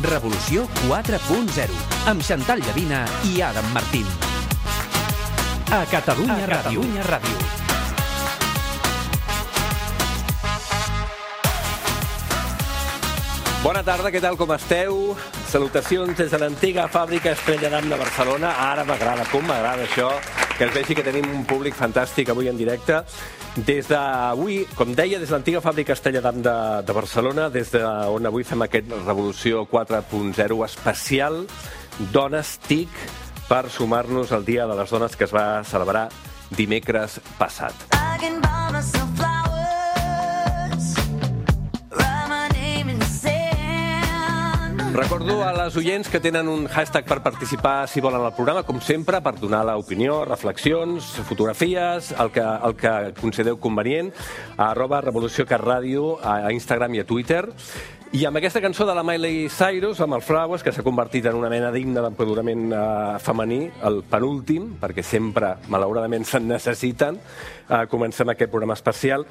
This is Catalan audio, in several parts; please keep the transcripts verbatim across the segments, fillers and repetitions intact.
Revolució quatre punt zero, amb Xantal Llavina i Adam Martín. A Catalunya Ràdio. Ràdio. Bona tarda, què tal, com esteu? Salutacions des de l'antiga fàbrica Estrella d'Am de Barcelona. Ara m'agrada, com m'agrada això, que es vegi que tenim un públic fantàstic avui en directe. Des d'avui, com deia, des de l'antiga fàbrica Estrella d'Am de, de Barcelona, des d'on avui fem aquest Revolució quatre punt zero especial Dones TIC per sumar-nos al Dia de les Dones que es va celebrar dimecres passat. Recordo a les oients que tenen un hashtag per participar si volen al programa, com sempre, per donar l'opinió, reflexions, fotografies, el que, el que considereu convenient, a arroba Revolució Cat Ràdio, a Instagram i a Twitter. I amb aquesta cançó de la Miley Cyrus, amb el Flowers, que s'ha convertit en una mena d'himne d'empoderament eh, femení, el penúltim, perquè sempre, malauradament, se'n necessiten, eh, comencem aquest programa especial.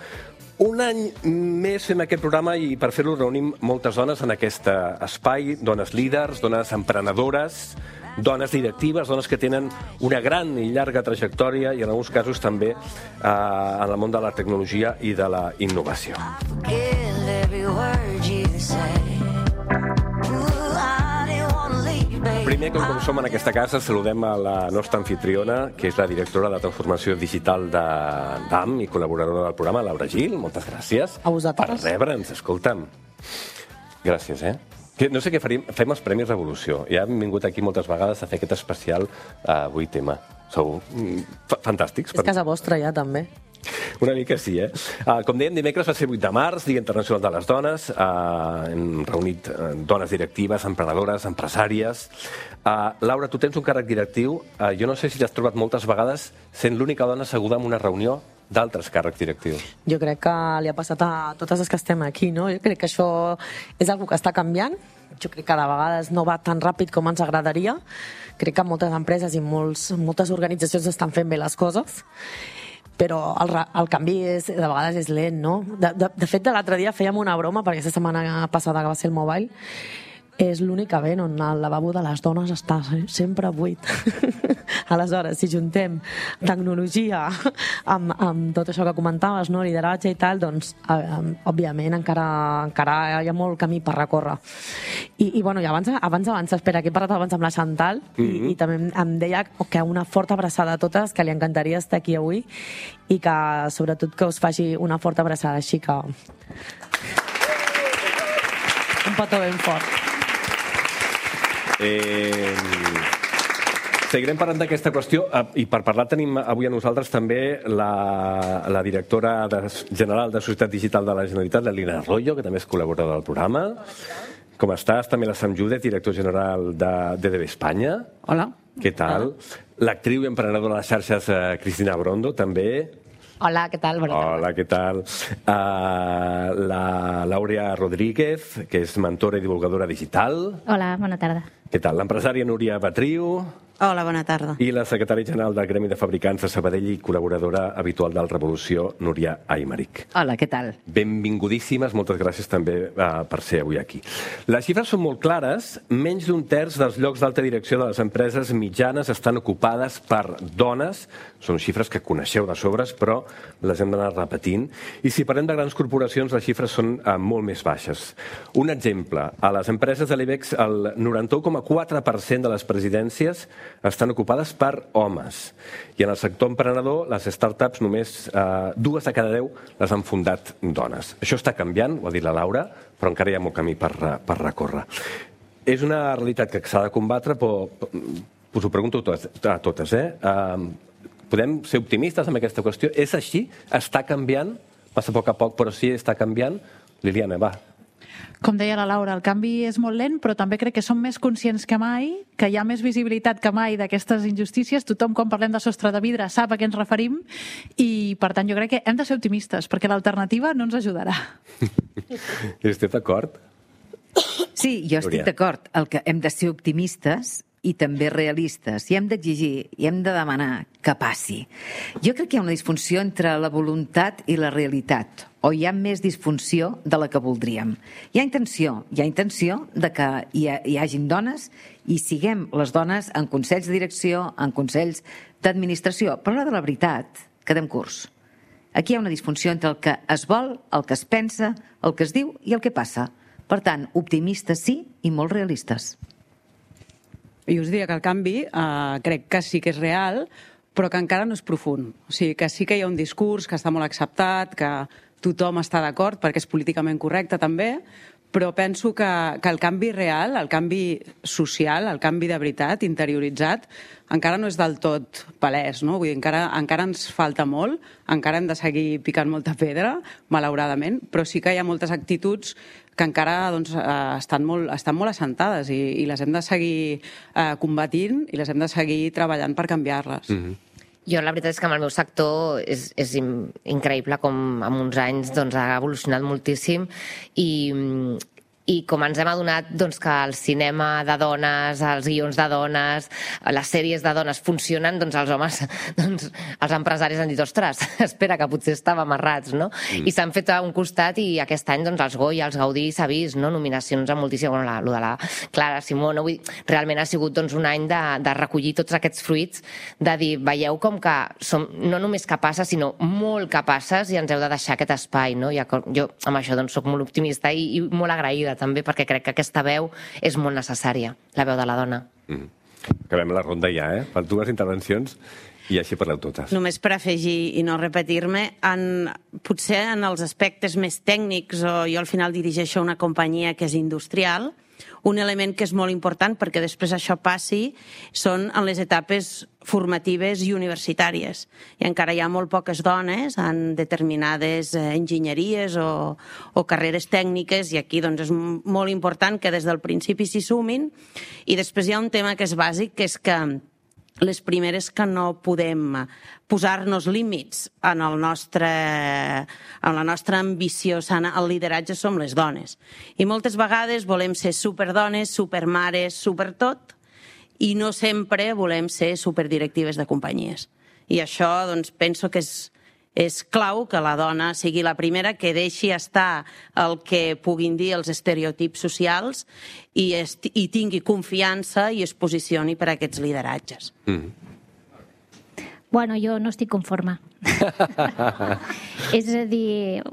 Un any més fem aquest programa i per fer-lo reunim moltes dones en aquest espai, dones líders, dones emprenedores, dones directives, dones que tenen una gran i llarga trajectòria i en alguns casos també eh, en el món de la tecnologia i de la innovació. Primer, com, com som en aquesta casa, saludem a la nostra anfitriona, que és la directora de transformació digital de d'A M i col·laboradora del programa, Laura Gil. Moltes gràcies a vosaltres per rebre'ns. Escolta'm, gràcies, eh? No sé què faríem, fem els Premis Revolució. Ja hem vingut aquí moltes vegades a fer aquest especial a avui tema. Sou fantàstics. És casa vostra ja, també. Una mica sí, eh? Uh, com dèiem, dimecres va ser vuit de març, Dia Internacional de les Dones. Uh, hem reunit uh, dones directives, emprenedores, empresàries. Uh, Laura, tu tens un càrrec directiu. Uh, jo no sé si t'has trobat moltes vegades sent l'única dona asseguda en una reunió d'altres càrrecs directius. Jo crec que li ha passat a totes les que estem aquí, no? Jo crec que això és una cosa que està canviant. Jo crec que de vegades no va tan ràpid com ens agradaria. Crec que moltes empreses i molts, moltes organitzacions estan fent bé les coses, però el, el canvi és, de vegades és lent, no? De, de, de fet, l'altre dia fèiem una broma, perquè aquesta setmana passada que va ser el Mobile, és l'únic event on el lavabo de les dones està sempre buit. Aleshores, si juntem tecnologia amb, amb tot això que comentaves, no? Lideratge i tal, doncs, eh, òbviament, encara, encara hi ha molt camí per recórrer. I, i bueno, i abans, abans, abans, espera, que he parlat abans amb la Xantal, mm-hmm. i, i també em, em deia que una forta abraçada a totes, que li encantaria estar aquí avui, i que, sobretot, que us faci una forta abraçada, així que... Un petó ben fort. Eh, seguirem parlant d'aquesta qüestió i per parlar tenim avui a nosaltres també la, la directora de, general de Societat Digital de la Generalitat, l'Elina Arroyo, que també és col·laboradora del programa. Com estàs? També la Sam Judet, director general de D D B Espanya. Hola. Què tal? L'actriu i emprenedora de les xarxes Cristina Brondo, també. Hola, què tal? Bona tarda. Hola, què tal? Uh, la Laura Rodríguez, que és mentora i divulgadora digital. Hola, bona tarda. Què tal? L'empresària Núria Batriu. Hola, bona tarda. I la secretària general del Gremi de Fabricants de Sabadell i col·laboradora habitual del Revolució, Núria Aymeric. Hola, què tal? Benvingudíssimes, moltes gràcies també uh, per ser avui aquí. Les xifres són molt clares, menys d'un terç dels llocs d'alta direcció de les empreses mitjanes estan ocupades per dones, són xifres que coneixeu de sobres, però les hem d'anar repetint, i si parlem de grans corporacions les xifres són uh, molt més baixes. Un exemple, a les empreses de l'IBEX el noranta-u coma quatre per cent de les presidències estan ocupades per homes. I en el sector emprenedor, les startups només eh, dues de cada deu les han fundat dones. Això està canviant, ho ha dit la Laura, però encara hi ha molt camí per, per recórrer. És una realitat que s'ha de combatre, però us ho pregunto a totes, eh? Eh, podem ser optimistes amb aquesta qüestió? És així? Està canviant? Passa a poc a poc, però sí està canviant? Liliana, va. Com deia la Laura, el canvi és molt lent, però també crec que som més conscients que mai, que hi ha més visibilitat que mai d'aquestes injustícies. Tothom, quan parlem de sostre de vidre, sap a què ens referim i, per tant, jo crec que hem de ser optimistes, perquè l'alternativa no ens ajudarà. Esteu d'acord? Sí, jo estic d'acord. El que hem de ser optimistes, i també realistes, i hem d'exigir, i hem de demanar que passi. Jo crec que hi ha una disfunció entre la voluntat i la realitat, o hi ha més disfunció de la que voldríem. Hi ha intenció, hi ha intenció de que hi, ha, hi hagin dones i siguem les dones en consells de direcció, en consells d'administració, però a l'hora de la veritat quedem curts. Aquí hi ha una disfunció entre el que es vol, el que es pensa, el que es diu i el que passa. Per tant, optimistes sí i molt realistes. Jo us diria que el canvi eh, crec que sí que és real, però que encara no és profund. O sigui, que sí que hi ha un discurs que està molt acceptat, que tothom està d'acord perquè és políticament correcte també, però penso que, que el canvi real, el canvi social, el canvi de veritat, interioritzat, encara no és del tot palès, no? Vull dir, encara, encara ens falta molt, encara hem de seguir picant molta pedra, malauradament, però sí que hi ha moltes actituds que encara doncs, estan, molt, estan molt assentades i, i les hem de seguir eh, combatint i les hem de seguir treballant per canviar-les. Mm-hmm. Jo la veritat és que amb el meu sector és, és increïble com en uns anys doncs, ha evolucionat moltíssim i, i com ens hem adonat doncs, que el cinema de dones, els guions de dones, les sèries de dones funcionen, doncs els homes, doncs, els empresaris han dit, ostres, espera, que potser estàvem errats, no? Mm. I s'han fet a un costat i aquest any doncs, els Goya, els Gaudí s'ha vist, no? Nominacions a moltíssim, bueno, la, lo de la Clara Simó, no? Vull dir, realment ha sigut doncs, un any de, de recollir tots aquests fruits, de dir, veieu com que som no només capaces, sinó molt capaces i ens heu de deixar aquest espai, no? I jo amb això doncs, soc molt optimista i, i molt agraïda també, perquè crec que aquesta veu és molt necessària, la veu de la dona. Mm. Acabem la ronda ja, eh? Per dues intervencions i així parleu totes. Només per afegir i no repetir-me, en, potser en els aspectes més tècnics, o jo al final dirigeixo una companyia que és industrial, un element que és molt important perquè després això passi són en les etapes formatives i universitàries. I encara hi ha molt poques dones en determinades enginyeries o, o carreres tècniques i aquí doncs, és molt important que des del principi s'hi sumin. I després hi ha un tema que és bàsic, que és que les primeres que no podem posar-nos límits en, el nostre, en la nostra ambició sana al lideratge som les dones. I moltes vegades volem ser superdones, supermares, supertot, i no sempre volem ser superdirectives de companyies. I això doncs, penso que és, és clau que la dona sigui la primera que deixi estar el que puguin dir els estereotips socials i, est i tingui confiança i es posicioni per a aquests lideratges. Mm. Bueno, jo no estic conforme. És a dir,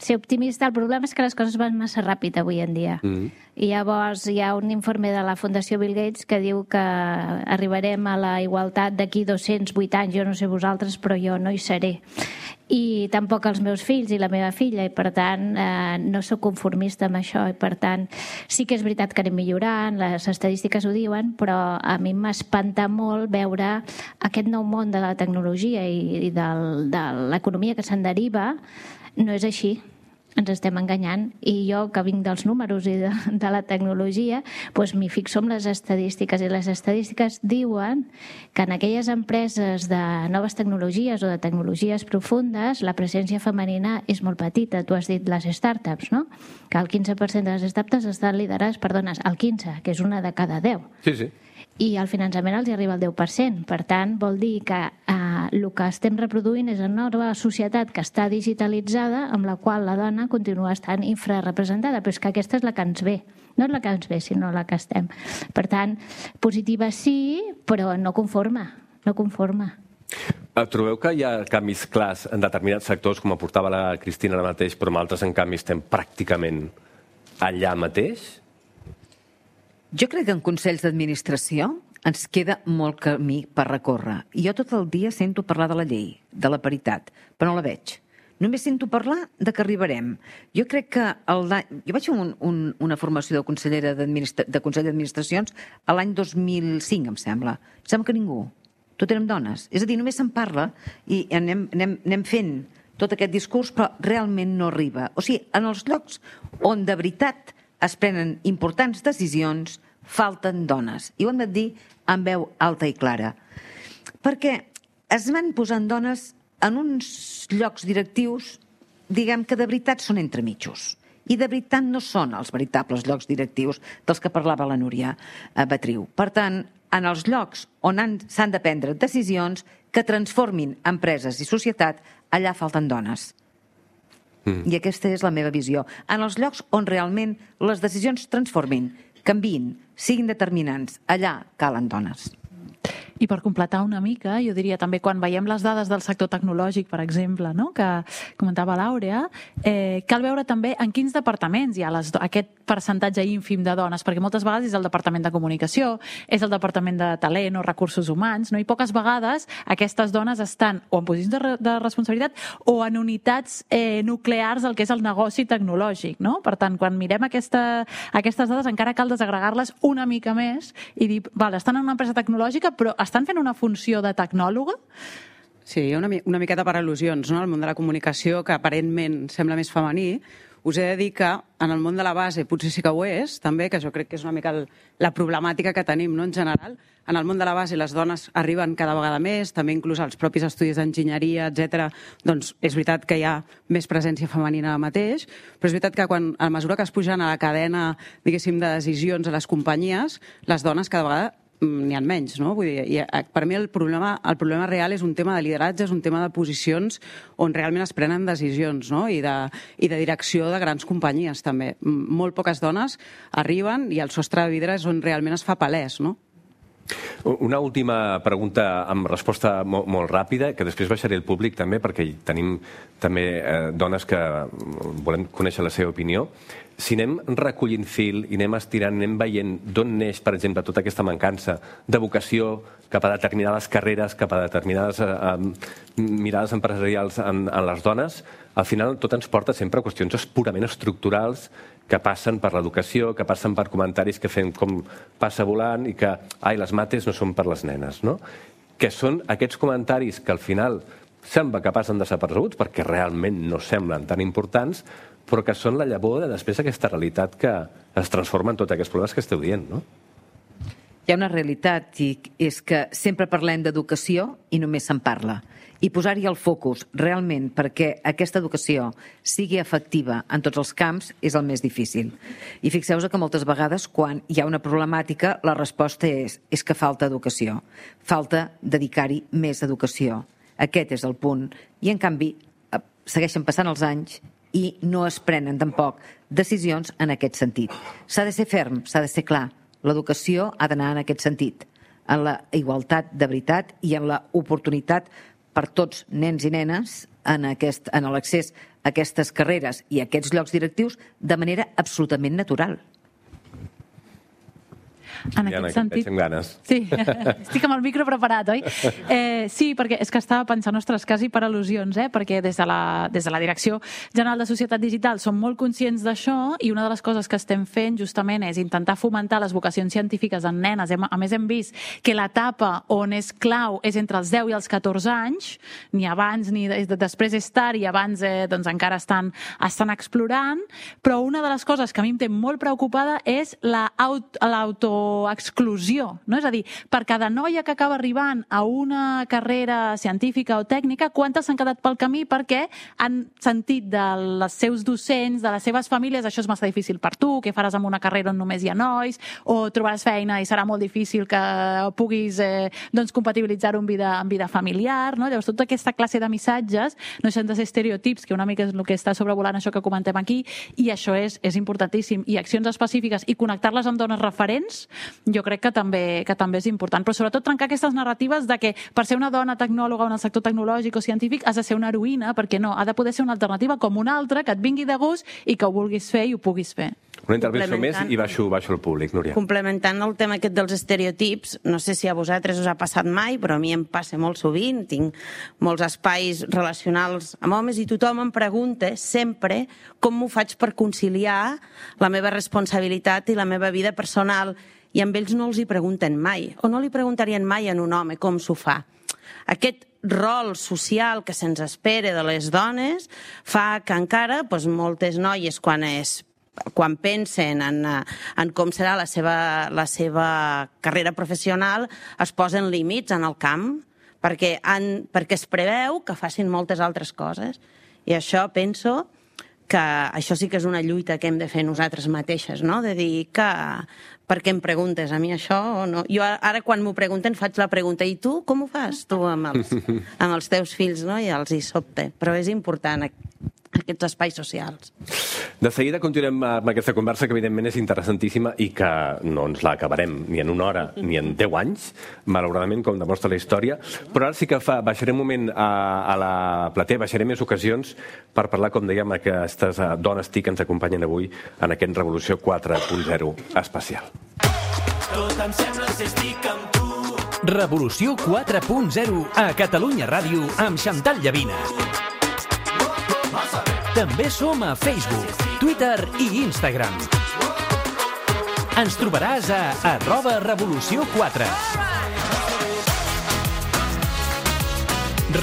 ser optimista, el problema és que les coses van massa ràpid avui en dia. Mm. I llavors hi ha un informe de la Fundació Bill Gates que diu que arribarem a la igualtat d'aquí dos-cents vuit anys, jo no sé vosaltres, però jo no hi seré. I tampoc els meus fills i la meva filla, i per tant eh, no sóc conformista amb això, i per tant sí que és veritat que anem millorant, les estadístiques ho diuen, però a mi m'espanta molt veure aquest nou món de la tecnologia i, i del, de l'economia que se'n deriva. No és així. Ens estem enganyant, i jo que vinc dels números i de, de la tecnologia doncs m'hi fixo en les estadístiques, i les estadístiques diuen que en aquelles empreses de noves tecnologies o de tecnologies profundes la presència femenina és molt petita. Tu has dit les startups, no? Que el quinze per cent de les startups estan liderades per dones, el quinze, que és una de cada deu. Sí, sí. I el finançament els hi arriba al deu per cent. Per tant, vol dir que eh, el que estem reproduint és una nova societat que està digitalitzada, amb la qual la dona continua estant infrarrepresentada, però és que aquesta és la que ens ve. No és la que ens ve, sinó la que estem. Per tant, positiva sí, però no conforme. No conforme. Trobeu que hi ha canvis clars en determinats sectors, com aportava la Cristina ara mateix, però en altres, en canvi, estem pràcticament allà mateix? Jo crec que en consells d'administració ens queda molt camí per recórrer. I jo tot el dia sento parlar de la llei, de la paritat, però no la veig. Només sento parlar de que arribarem. Jo crec que... El, jo vaig fer un, un, una formació de consellera de Consell d'Administracions a l'any dos mil cinc, em sembla. Em sembla que ningú. Tot érem dones. És a dir, només se'n parla i anem, anem, anem fent tot aquest discurs, però realment no arriba. O sigui, en els llocs on de veritat es prenen importants decisions, falten dones. I ho hem de dir amb veu alta i clara. Perquè es van posant dones en uns llocs directius, diguem que de veritat són entremitjos. i de veritat no són els veritables llocs directius dels que parlava la Núria Betriu. Per tant, en els llocs on s'han de prendre decisions que transformin empreses i societat, allà falten dones. Mm. I aquesta és la meva visió. En els llocs on realment les decisions transformin, canviïn, siguin determinants, allà calen dones. I per completar una mica, jo diria també quan veiem les dades del sector tecnològic, per exemple, no? que comentava l'Àurea, eh, cal veure també en quins departaments hi ha les, aquest percentatge ínfim de dones, perquè moltes vegades és el departament de comunicació, és el departament de talent o recursos humans, no? I poques vegades aquestes dones estan o en posicions de, re, de responsabilitat o en unitats eh, nuclears del que és el negoci tecnològic. No? Per tant, quan mirem aquesta, aquestes dades encara cal desagregar-les una mica més i dir, val, estan en una empresa tecnològica, però estan fent una funció de tecnòloga? Sí, hi ha una, una miqueta per al·lusions, no? El món de la comunicació, que aparentment sembla més femení. Us he de dir que en el món de la base potser sí que ho és, també, que jo crec que és una mica el, la problemàtica que tenim, no?, en general. En el món de la base les dones arriben cada vegada més, també inclús als propis estudis d'enginyeria, etcètera. Doncs és veritat que hi ha més presència femenina ara mateix, però és veritat que quan, a mesura que es pugen a la cadena, diguéssim, de decisions a les companyies, les dones cada vegada n'hi ha menys, no? Vull dir, i per mi el problema, el problema real és un tema de lideratge, és un tema de posicions on realment es prenen decisions, no? I de, i de direcció de grans companyies, també. Molt poques dones arriben i el sostre de vidre és on realment es fa palès, no? Una última pregunta amb resposta molt, molt ràpida, que després baixaré al públic també, perquè tenim també eh, dones que volem conèixer la seva opinió. Si anem recollint fil i anem estirant, anem veient d'on neix, per exemple, tota aquesta mancança de vocació cap a determinades carreres, cap a determinades eh, mirades empresarials en, en les dones, al final tot ens porta sempre a qüestions purament estructurals que passen per l'educació, que passen per comentaris que fem com passa volant i que, ai, les mates no són per les nenes, no? Que són aquests comentaris que al final sembla que passen desapercebuts perquè realment no semblen tan importants, però que són la llavor de després aquesta realitat que es transforma en tots aquests problemes que esteu dient, no? Hi ha una realitat, i és que sempre parlem d'educació i només se'n parla. I posar-hi el focus realment perquè aquesta educació sigui efectiva en tots els camps és el més difícil. I fixeu-vos que moltes vegades quan hi ha una problemàtica la resposta és, és que falta educació. Falta dedicar-hi més educació. Aquest és el punt. I en canvi segueixen passant els anys i no es prenen tampoc decisions en aquest sentit. S'ha de ser ferm, s'ha de ser clar. L'educació ha d'anar en aquest sentit, en la igualtat de veritat i en la oportunitat per tots nens i nenes en, aquest, en l'accés a aquestes carreres i a aquests llocs directius de manera absolutament natural. En Diana, aquest sentit... amb ganes. Sí, estic amb el micro preparat, oi? Eh, sí, perquè és que estava pensant, ostres, quasi per al·lusions, eh? Perquè des de, la, des de la Direcció General de Societat Digital som molt conscients d'això i una de les coses que estem fent justament és intentar fomentar les vocacions científiques en nenes. A més, hem vist que l'etapa on és clau és entre els deu i els catorze anys, ni abans ni després és tard i abans eh, doncs encara estan, estan explorant, però una de les coses que a mi em té molt preocupada és l'auto exclusió, no? És a dir, per cada noia que acaba arribant a una carrera científica o tècnica, quantes s'han quedat pel camí perquè han sentit dels seus docents, de les seves famílies, això és massa difícil per tu, què faràs amb una carrera on només hi ha nois, o trobaràs feina i serà molt difícil que puguis eh, doncs compatibilitzar-ho amb vida, amb vida familiar, no? Llavors, tota aquesta classe de missatges no deixen de ser estereotips, que una mica és el que està sobrevolant això que comentem aquí, i això és, és importantíssim. I accions específiques i connectar-les amb dones referents jo crec que també, que també és important, però sobretot trencar aquestes narratives de que per ser una dona tecnòloga en el sector tecnològic o científic has de ser una heroïna, perquè no, ha de poder ser una alternativa com una altra, que et vingui de gust i que ho vulguis fer i ho puguis fer. Una intervenció més i baixo, baixo al públic, Núria. Complementant el tema aquest dels estereotips, no sé si a vosaltres us ha passat mai, però a mi em passa molt sovint, tinc molts espais relacionals amb homes i tothom em pregunta sempre com m'ho faig per conciliar la meva responsabilitat i la meva vida personal, i amb ells no els hi pregunten mai, o no li preguntarien mai a un home com s'ho fa. Aquest rol social que se'ns espera de les dones fa que encara doncs, moltes noies, quan, és, quan pensen en, en com serà la seva, la seva carrera professional, es posen límits en el camp, perquè, han, perquè es preveu que facin moltes altres coses. I això, penso, que això sí que és una lluita que hem de fer nosaltres mateixes, no? De dir que per què em preguntes a mi això o no? Jo ara quan m'ho pregunten faig la pregunta i tu com ho fas tu amb els, amb els teus fills, no? I els hi sobte, però és important aquests espais socials. De seguida continuem amb aquesta conversa que evidentment és interessantíssima i que no ens la acabarem ni en una hora ni en deu anys, malauradament, com demostra la història, però ara sí que fa, baixaré un moment a, a la platea, baixaré més ocasions per parlar, com dèiem, aquestes dones TIC que ens acompanyen avui en aquest Revolució quatre punt zero especial. Tot em sembla si estic amb tu. Revolució quatre punt zero a Catalunya Ràdio amb Xantal Llavina. També som a Facebook, Twitter i Instagram. Ens trobaràs a arroba Revolució quatre.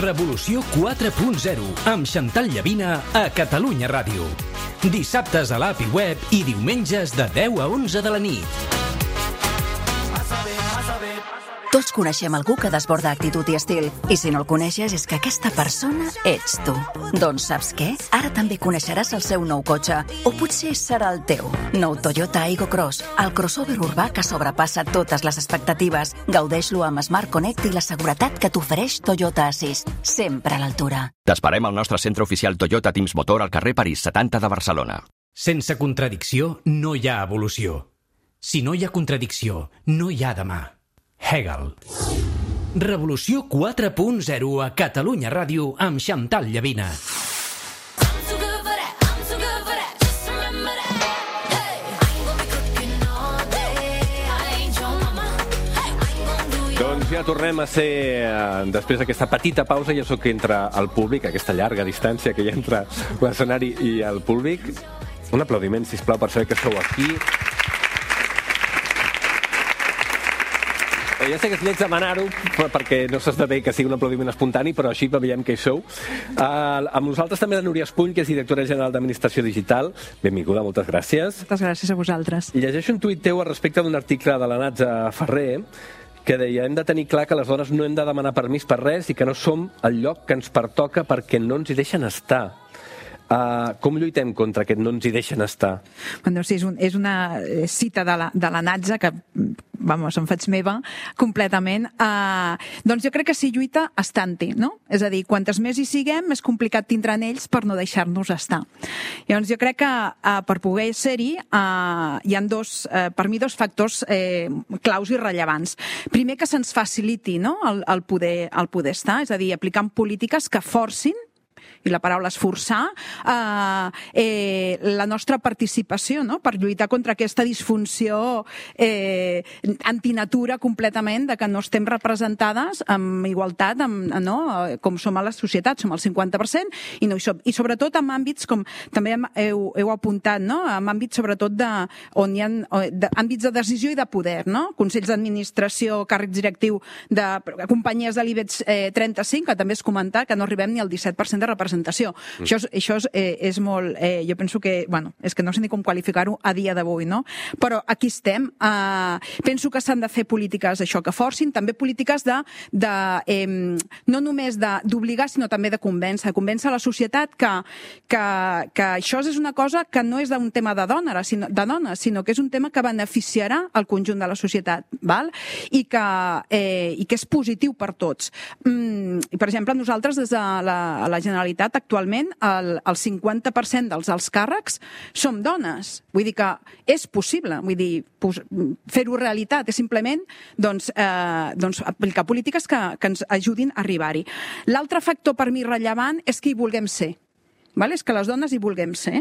Revolució quatre punt zero amb Xantal Llavina a Catalunya Ràdio. Dissabtes a l'A P I Web i diumenges de deu a onze de la nit. Tots coneixem algú que desborda actitud i estil. I si no el coneixes és que aquesta persona ets tu. Doncs saps què? Ara també coneixeràs el seu nou cotxe. O potser serà el teu. Nou Toyota Aygo Cross, el crossover urbà que sobrepassa totes les expectatives. Gaudeix-lo amb Smart Connect i la seguretat que t'ofereix Toyota Assist. Sempre a l'altura. T'esperem al nostre centre oficial Toyota Teams Motor al carrer París setanta de Barcelona. Sense contradicció no hi ha evolució. Si no hi ha contradicció, no hi ha demà. Hegel. Revolució quatre punt zero a Catalunya Ràdio amb Xantal Llavina. Doncs ja tornem a ser, després d'aquesta petita pausa, ja sóc que entra el públic, aquesta llarga distància que hi ha entre l'escenari i el públic. Un aplaudiment, sisplau, per saber que sou aquí. Ja sé que es lleig demanar-ho perquè no s'esdevé que sigui un aplaudiment espontani, però així veiem que hi sou. Uh, amb nosaltres també la Núria Espuny, que és directora general d'Administració Digital. Benvinguda, moltes gràcies. Moltes gràcies a vosaltres. Llegeixo un tuit teu respecte d'un article de la Natza Ferrer que deia: hem de tenir clar que les dones no hem de demanar permís per res i que no som el lloc que ens pertoca perquè no ens hi deixen estar. Uh, com lluitem contra aquest no ens hi deixen estar? Bueno, sí, és, un, és una cita de la, de la Natza que, vamos, em faig meva completament. Uh, doncs jo crec que s'hi lluita estant-hi, no? És a dir, quantes més hi siguem, més complicat tindran ells per no deixar-nos estar. Llavors jo crec que uh, per poder ser-hi uh, hi ha dos, uh, per mi, dos factors eh, claus i rellevants. Primer, que se'ns faciliti, no?, el, el, poder, el poder estar, és a dir, aplicant polítiques que forcin, i la paraula és forçar, eh, eh, la nostra participació, no?, per lluitar contra aquesta disfunció eh, antinatura completament de que no estem representades amb igualtat, amb, no?, com som a la societat, som el cinquanta per cent, i, no hi som. I sobretot en àmbits, com també heu, heu apuntat, no?, en àmbits sobretot de, on hi ha de, àmbits de decisió i de poder, no?, consells d'administració, càrrec directiu de companyies de l'IBEX eh, trenta-cinc, que també es comentar que no arribem ni al disset per cent de representació. Mm. Això, és, això és, eh, és molt... Eh, jo penso que... Bueno, és que no sé ni com qualificar-ho a dia d'avui, no? Però aquí estem. Eh, penso que s'han de fer polítiques, això, que forcin, també polítiques de... de eh, no només d'obligar, sinó també de convèncer. Convèncer la societat que, que, que això és una cosa que no és un tema de dona, sinó, de dones, sinó que és un tema que beneficiarà el conjunt de la societat, val? I que, eh, i que és positiu per tots. Mm, i, per exemple, nosaltres, des de la, la Generalitat, actualment el, el cinquanta per cent dels alts càrrecs som dones. Vull dir que és possible, vull dir, fer-ho realitat, és simplement doncs, eh, doncs, aplicar polítiques que, que ens ajudin a arribar-hi. L'altre factor per mi rellevant és que hi vulguem ser. Vale? És que les dones hi vulguem ser.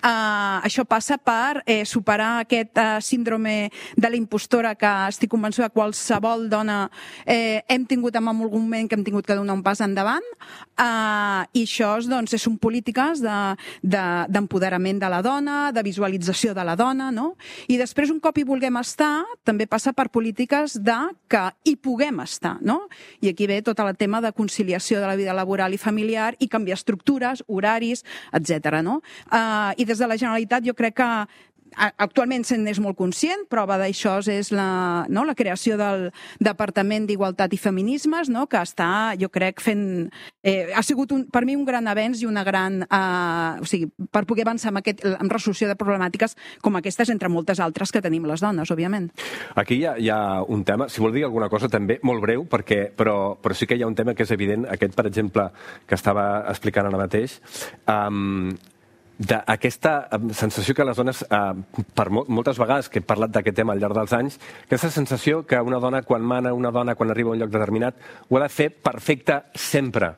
Uh, això passa per eh, superar aquest uh, síndrome de la impostora que estic convençuda que qualsevol dona eh, hem tingut en algun moment que hem tingut que donar un pas endavant, uh, i això doncs, són polítiques d'empoderament de, de, de la dona, de visualització de la dona, no? I després, un cop hi vulguem estar, també passa per polítiques de que hi puguem estar, no? I aquí ve tot el tema de conciliació de la vida laboral i familiar i canviar estructures, horaris, etcètera, no? Uh, I des de la Generalitat jo crec que actualment se'n és molt conscient, prova d'això és la, no, la creació del Departament d'Igualtat i Feminismes, no, que està, jo crec, fent... Eh, ha sigut un, per mi un gran avenç i una gran... Eh, o sigui, per poder avançar amb, aquest, amb resolució de problemàtiques com aquestes, entre moltes altres que tenim les dones, òbviament. Aquí hi ha, hi ha un tema, si vol dir alguna cosa també, molt breu, perquè, però, però sí que hi ha un tema que és evident, aquest, per exemple, que estava explicant ara mateix, um, d'aquesta sensació que les dones, eh, per mo moltes vegades que he parlat d'aquest tema al llarg dels anys, aquesta sensació que una dona, quan mana, una dona, quan arriba a un lloc determinat, ho ha de fer perfecte sempre,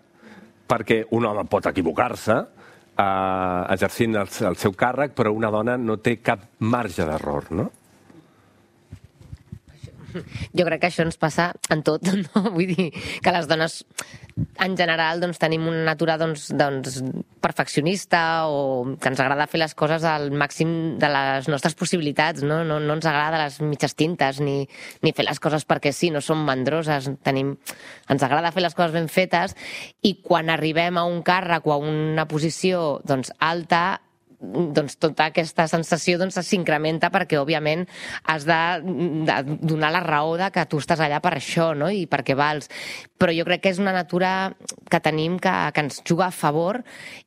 perquè un home pot equivocar-se eh, exercint el, el seu càrrec, però una dona no té cap marge d'error, no? Jo crec que això ens passa en tot, no? Vull dir que les dones, en general, doncs, tenim una natura doncs, doncs, perfeccionista o que ens agrada fer les coses al màxim de les nostres possibilitats, no? No, no ens agrada les mitges tintes ni, ni fer les coses perquè sí, no som mandroses, tenim, ens agrada fer les coses ben fetes i quan arribem a un càrrec o a una posició doncs, alta, doncs tota aquesta sensació doncs, s'incrementa perquè, òbviament, has de, de donar la raó de que tu estàs allà per això, no? I perquè vals. Però jo crec que és una natura que tenim que, que ens juga a favor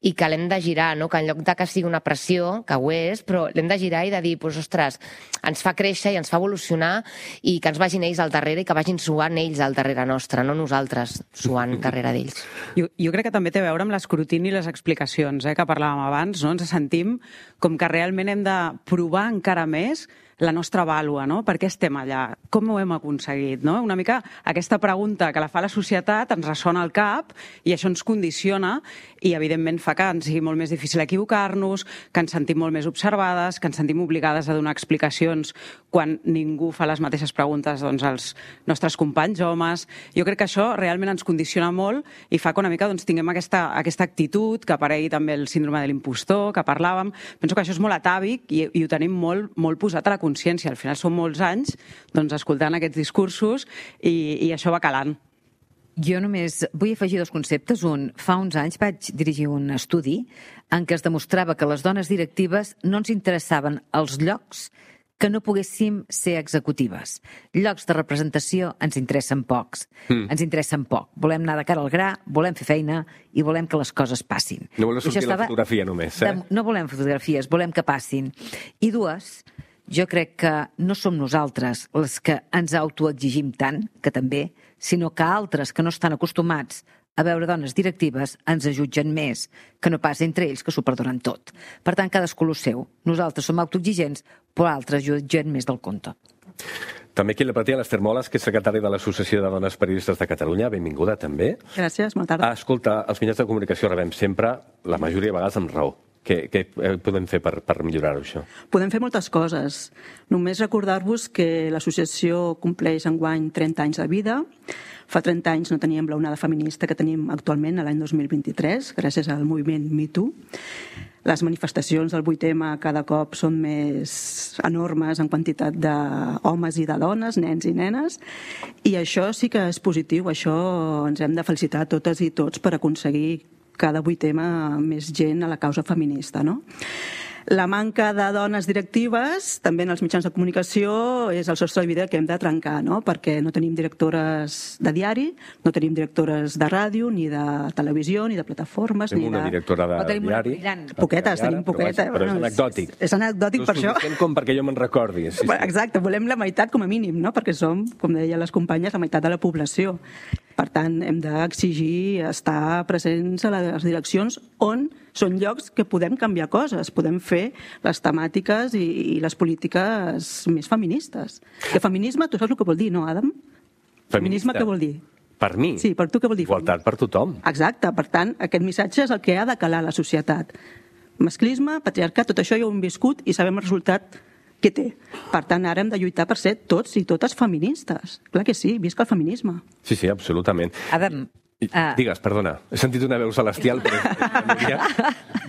i que l'hem de girar, no? Que en lloc de que sigui una pressió, que ho és, però l'hem de girar i de dir, pues, ostres, ens fa créixer i ens fa evolucionar i que ens vagin ells al darrere i que vagin suant ells al darrere nostre, no nosaltres suant darrere d'ells. Jo, jo crec que també té a veure amb l'escrutini i les explicacions, eh, que parlàvem abans, no? Ens sentim com que realment hem de provar encara més la nostra vàlua, no? Per què estem allà? Com ho hem aconseguit, no? Una mica aquesta pregunta que la fa la societat ens ressona al cap i això ens condiciona i, evidentment, fa que ens sigui molt més difícil equivocar-nos, que ens sentim molt més observades, que ens sentim obligades a donar explicacions quan ningú fa les mateixes preguntes doncs, als nostres companys homes. Jo crec que això realment ens condiciona molt i fa que una mica doncs, tinguem aquesta, aquesta actitud, que aparegui també el síndrome de l'impostor, que parlàvem. Penso que això és molt atàvic i, i ho tenim molt, molt posat a la consciència. Al final són molts anys doncs, escoltant aquests discursos i, i això va calant. Jo només vull afegir dos conceptes. Un, fa uns anys vaig dirigir un estudi en què es demostrava que les dones directives no ens interessaven els llocs que no poguéssim ser executives. Llocs de representació ens interessen pocs. Mm. Ens interessen poc. Volem anar de cara al gra, volem fer feina i volem que les coses passin. No volem sortir la fotografia només, eh? De, no volem fotografies, volem que passin. I dues, jo crec que no som nosaltres les que ens autoexigim tant, que també, sinó que altres que no estan acostumats a veure dones directives ens ajutgen més, que no pas entre ells que s'ho perdonen tot. Per tant, cadascú el seu. Nosaltres som autoexigents, però altres jutgen més del compte. També aquí la platea l'Ester Moles, que és secretària de l'Associació de Dones Periodistes de Catalunya. Benvinguda, també. Gràcies, bona tarda. Ah, escolta, els mitjans de comunicació rebem sempre, la majoria de vegades amb raó. Què, què podem fer per, per millorar-ho, això? Podem fer moltes coses. Només recordar-vos que l'associació compleix enguany trenta anys de vida. Fa trenta anys no teníem l'onada feminista que tenim actualment, l'any dos mil vint-i-tres, gràcies al moviment Me Too. Les manifestacions del vuit eme cada cop són més enormes en quantitat d'homes i de dones, nens i nenes, i això sí que és positiu. Això ens hem de felicitar totes i tots per aconseguir cada vuit eme més gent a la causa feminista, no? La manca de dones directives, també en els mitjans de comunicació, és el sostre de vida que hem de trencar, no? Perquè no tenim directores de diari, no tenim directores de ràdio, ni de televisió, ni de plataformes, tenim ni de... una directora de diari. Poquetes, tenim poqueta. Però és anecdòtic. És anecdòtic per això. No és suficient com perquè jo me'n recordi. Sí, sí. Exacte, volem la meitat com a mínim, no? Perquè som, com deien les companyes, la meitat de la població. Per tant, hem d'exigir estar presents a les direccions on són llocs que podem canviar coses, podem fer les temàtiques i, i les polítiques més feministes. Que feminisme, tu saps el que vol dir, no, Adam? Feminista. Feminisme què vol dir? Per mi? Sí, per tu què vol dir? Igualtat per tothom. Exacte, per tant, aquest missatge és el que ha de calar la societat. Masclisme, patriarcat, tot això ja ho hem viscut i sabem el resultat que té. Per tant, ara hem de lluitar per ser tots i totes feministes. Clar que sí, visca el feminisme. Sí, sí, absolutament. Adam, Uh... Digues, perdona, he sentit una veu celestial, però...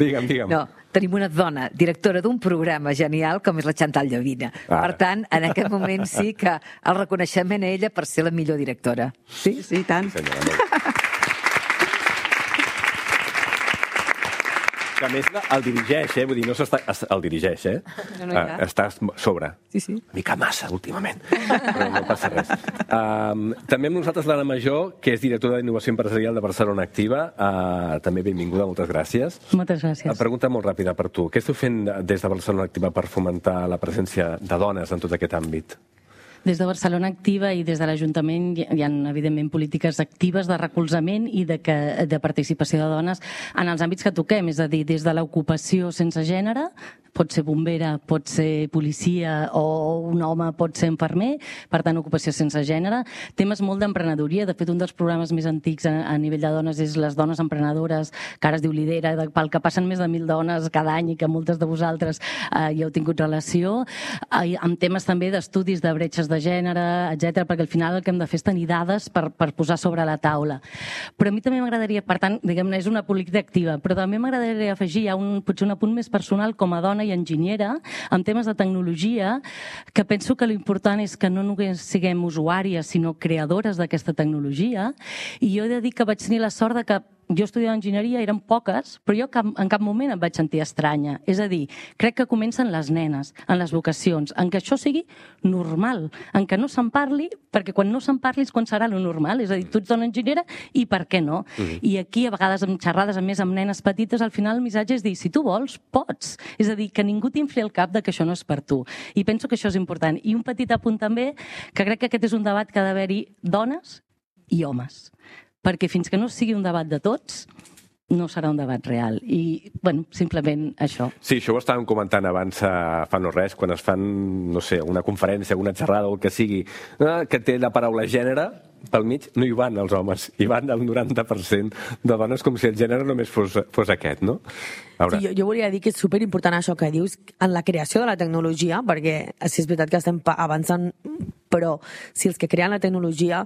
digue'm, digue'm. No, tenim una dona, directora d'un programa genial com és la Chantal Llavina. Ah. Per tant, en aquest moment sí que el reconeixement a ella per ser la millor directora. Sí, sí, tant. Senyora, Que a més el dirigeix, eh? Vull dir, no s'està... El dirigeix, eh? No, no, ja. Uh, està sobre. Sí, sí. Una mica massa, últimament. Però no passa res. Um, també amb nosaltres l'Anna Major, que és directora d'Innovació Empresarial de Barcelona Activa. Uh, també benvinguda, moltes gràcies. Moltes gràcies. Uh, pregunta molt ràpida per tu. Què esteu fent des de Barcelona Activa per fomentar la presència de dones en tot aquest àmbit? Des de Barcelona Activa i des de l'Ajuntament hi ha, evidentment, polítiques actives de recolzament i de, que, de participació de dones en els àmbits que toquem, és a dir, des de l'ocupació sense gènere, pot ser bombera, pot ser policia o un home pot ser infermer, per tant, ocupació sense gènere. Temes molt d'emprenedoria, de fet, un dels programes més antics a, a nivell de dones és les dones emprenedores, que ara es diu Lidera, de, pel que passen més de mil dones cada any i que moltes de vosaltres eh, hi heu tingut relació, eh, amb temes també d'estudis de bretxes de gènere, etcètera, perquè al final el que hem de fer és tenir dades per, per posar sobre la taula. Però a mi també m'agradaria, per tant, diguem-ne, és una política activa, però també m'agradaria afegir ja un, potser un apunt més personal com a dona i enginyera, amb temes de tecnologia, que penso que l'important és que no només siguem usuàries, sinó creadores d'aquesta tecnologia, i jo he de dir que vaig tenir la sort de que jo estudiava enginyeria, eren poques, però jo cap, en cap moment em vaig sentir estranya. És a dir, crec que comencen les nenes, en les vocacions, en que això sigui normal, en que no se'n parli, perquè quan no se'n parli és quan serà lo normal. És a dir, tu ets dona enginyera i per què no? Mm-hmm. I aquí, a vegades, amb xerrades, a més amb nenes petites, al final el missatge és dir, si tu vols, pots. És a dir, que ningú t'infli el cap de que això no és per tu. I penso que això és important. I un petit apunt també, que crec que aquest és un debat que ha d'haver-hi dones i homes. Perquè fins que no sigui un debat de tots, no serà un debat real. I, bueno, simplement això. Sí, això ho estàvem comentant abans, fa no res, quan es fan, no sé, una conferència, una xerrada o el que sigui, que té la paraula gènere, pel mig no hi van els homes, hi van el noranta per cent de dones, com si el gènere només fos, fos aquest, no? Sí, jo, jo volia dir que és superimportant això que dius en la creació de la tecnologia, perquè sí, és veritat que estem avançant, però si els que creen la tecnologia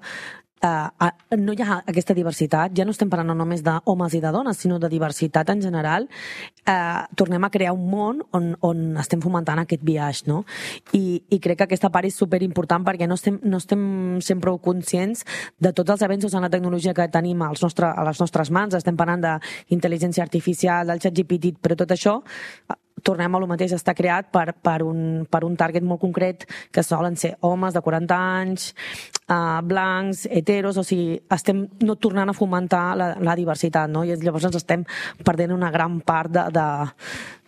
Uh, no hi ha aquesta diversitat, ja no estem parlant només d'homes i de dones, sinó de diversitat en general, uh, tornem a crear un món on, on estem fomentant aquest biaix, no? I, i crec que aquesta part és superimportant perquè no estem, no estem sent prou conscients de tots els avenços en la tecnologia que tenim als nostre, a les nostres mans. Estem parlant d'intel·ligència artificial, del ChatGPT, però tot això tornem a lo mateix, està creat per, per, un, per un target molt concret, que solen ser homes de quaranta anys, uh, blancs, heteros, o sigui, estem no tornant a fomentar la, la diversitat, no? I llavors ens estem perdent una gran part de, de,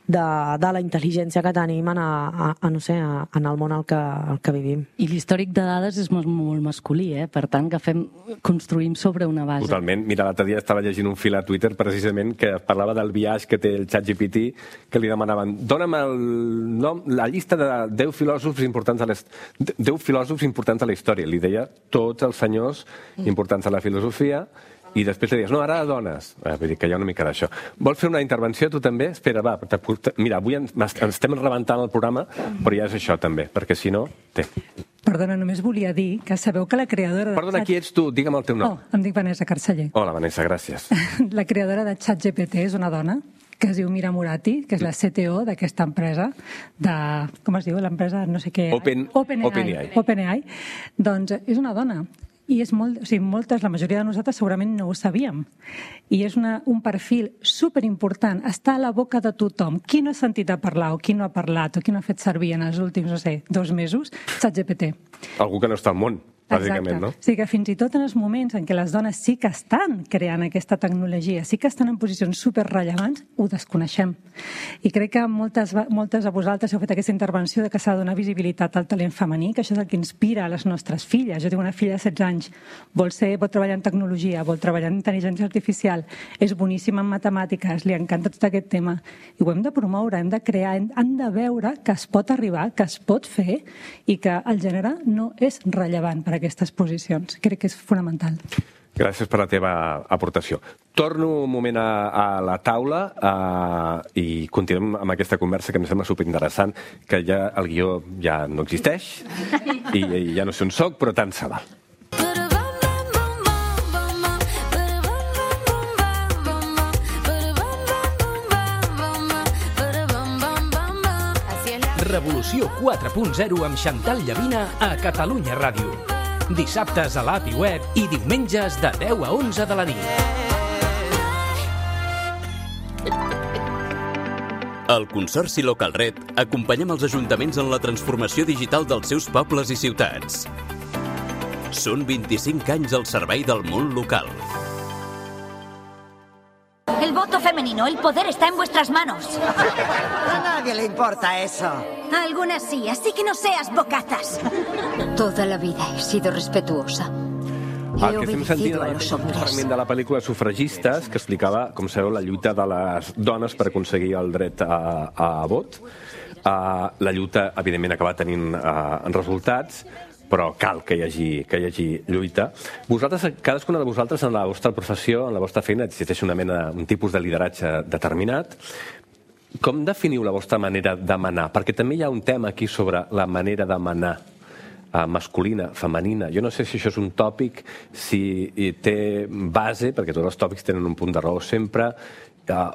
de, de la intel·ligència que tenim en, a, a, a, no sé, a, en el món al que, al que vivim. I l'històric de dades és molt, molt masculí, eh? Per tant, que fem, construïm sobre una base. Totalment. Mira, l'altre dia estava llegint un fil a Twitter precisament que parlava del biaix que té el ChatGPT, que li demanaven, dona'm el nom, la llista de deu filòsofs importants a les, deu filòsofs importants a la història. Li deia tots els senyors importants a la filosofia, i després li dius, no, ara dones. Eh, vull dir que hi ha una mica d'això. Vols fer una intervenció, tu també? Espera, va. Mira, avui ens, ens estem rebentant el programa, però ja és això també, perquè si no... Té. Perdona, només volia dir que sabeu que la creadora... De Perdona, qui ets tu? Digue'm el teu nom. Oh, em dic Vanessa Carceller. Hola, Vanessa, gràcies. La creadora de ChatGPT és una dona que es diu Mira Murati, que és la C T O d'aquesta empresa, de... com es diu? L'empresa no sé què... Open, OpenAI. OpenAI. OpenAI. Doncs és una dona. I és molt, o sigui, moltes, la majoria de nosaltres segurament no ho sabíem. I és una, un perfil superimportant. Està a la boca de tothom. Qui no ha sentit a parlar o qui no ha parlat o qui no ha fet servir en els últims, no sé, dos mesos, ChatGPT. Algú que no està al món, bàsicament, no? O sigui que fins i tot en els moments en què les dones sí que estan creant aquesta tecnologia, sí que estan en posicions superrellevants, ho desconeixem. I crec que moltes, moltes de vosaltres heu fet aquesta intervenció de que s'ha de donar visibilitat al talent femení, que això és el que inspira a les nostres filles. Jo tinc una filla de setze anys, vol, ser, vol treballar en tecnologia, vol treballar en intel·ligència artificial, és boníssima en matemàtiques, li encanta tot aquest tema. I ho hem de promoure, hem de crear, hem de veure que es pot arribar, que es pot fer i que el gènere no és rellevant per aquestes posicions. Crec que és fonamental. Gràcies per la teva aportació. Torno un moment a, a la taula uh, i continuem amb aquesta conversa que em sembla superinteressant, que ja el guió ja no existeix i, i ja no sé on soc, però tant se val. Revolució quatre punt zero amb Xantal Llavina a Catalunya Ràdio. Dissabtes a l'A P I Web i diumenges de deu a onze de la nit. Al Consorci Localred acompanyem els ajuntaments en la transformació digital dels seus pobles i ciutats. Són vint-i-cinc anys al servei del món local. El voto femenino, el poder está en vuestras manos. A nadie le importa eso. A algunas sí, así que no seas bocazas. Toda la vida he sido respetuosa. El que estem sentint és un fragment de la pel·lícula Sufragistes que explicava, com sabeu, la lluita de les dones per aconseguir el dret a, a vot. Uh, la lluita, evidentment, acaba tenint uh, resultats, però cal que hi hagi, que hi hagi lluita. Vosaltres, cadascuna de vosaltres, en la vostra professió, en la vostra feina, existeix una mena, un tipus de lideratge determinat. Com definiu la vostra manera de manar? Perquè també hi ha un tema aquí sobre la manera de manar masculina, femenina. Jo no sé si això és un tòpic, si té base, perquè tots els tòpics tenen un punt de raó sempre,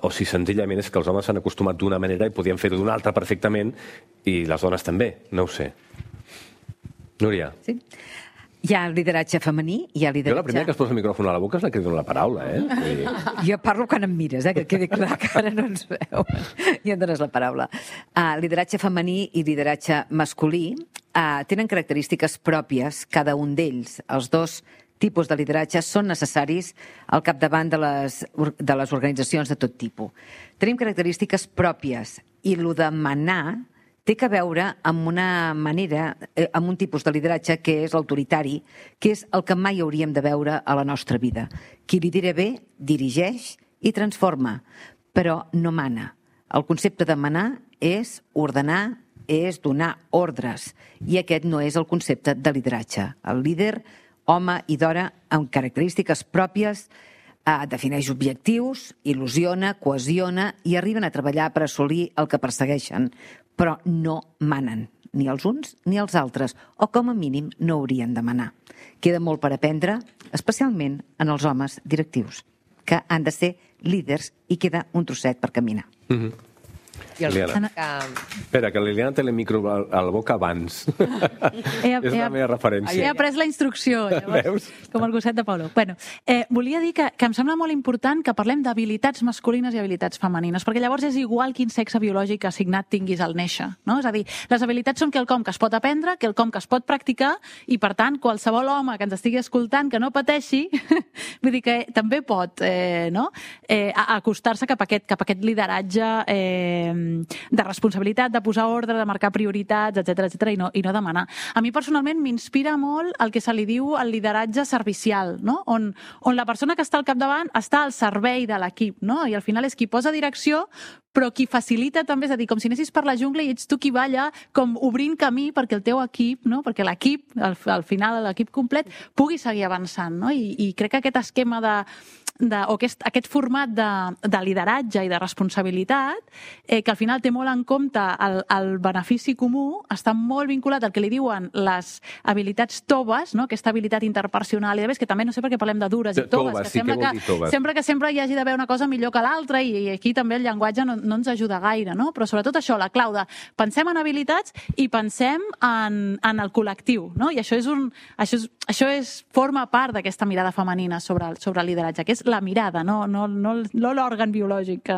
o si senzillament és que els homes s'han acostumat d'una manera i podien fer-ho d'una altra perfectament, i les dones també, no ho sé. Núria. Sí. Hi ha lideratge femení, hi ha lideratge... Jo la primera que es posa el micròfon a la boca és la que dona la paraula, eh? Jo parlo quan em mires, eh? Que quedi clar que ara no ens veuen. I em dones la paraula. Uh, lideratge femení i lideratge masculí uh, tenen característiques pròpies, cada un d'ells. Els dos tipus de lideratge són necessaris al capdavant de les, de les organitzacions de tot tipus. Tenim característiques pròpies i el de manar té que veure amb una manera, amb un tipus de lideratge que és l'autoritari, que és el que mai hauríem de veure a la nostra vida. Qui lidera bé, dirigeix i transforma, però no mana. El concepte de manar és ordenar, és donar ordres, i aquest no és el concepte de lideratge. El líder, home i dona, amb característiques pròpies, eh, defineix objectius, il·lusiona, cohesiona i arriben a treballar per assolir el que persegueixen, però no manen, ni els uns ni els altres, o com a mínim no haurien de manar. Queda molt per aprendre, especialment en els homes directius, que han de ser líders i queda un trosset per caminar. Mm-hmm. Liliana. Que... Espera, que Liliana té el micro a la boca abans. He, és la meva referència. He après la instrucció, llavors, com el gosset de Paulo. Bueno, eh, volia dir que, que em sembla molt important que parlem d'habilitats masculines i habilitats femenines, perquè llavors és igual quin sexe biològic assignat tinguis al néixer. No? És a dir, les habilitats són quelcom que es pot aprendre, quelcom que es pot practicar, i per tant, qualsevol home que ens estigui escoltant que no pateixi, vull dir que també pot eh, no? eh, acostar-se cap a aquest, cap a aquest lideratge eh, de responsabilitat, de posar ordre, de marcar prioritats, etcètera, etcètera, i no, i no demanar. A mi personalment m'inspira molt el que se li diu el lideratge servicial, no? on, on la persona que està al capdavant està al servei de l'equip, no? I al final és qui posa direcció, però qui facilita també, és a dir, com si anessis per la jungla i ets tu qui va allà com obrint camí perquè el teu equip, no? Perquè l'equip, al, al final l'equip complet, pugui seguir avançant, no? I, i crec que aquest esquema de, de o aquest, aquest format de, de lideratge i de responsabilitat, eh, que al final té molt en compte el, el benefici comú, està molt vinculat al que li diuen les habilitats toves, no? Aquesta habilitat interpersonal, i de més, que també no sé per què parlem de dures i toves, toves que, sí, sembla, que, que sempre que sempre hi hagi d'haver una cosa millor que l'altra, i, i aquí també el llenguatge no, no ens ajuda gaire, no? Però sobretot això, la clau de pensem en habilitats i pensem en, en el col·lectiu, no? I això és un, això és, això és, forma part d'aquesta mirada femenina sobre, sobre el lideratge, que és la mirada, no, no, no, no l'òrgan biològic que,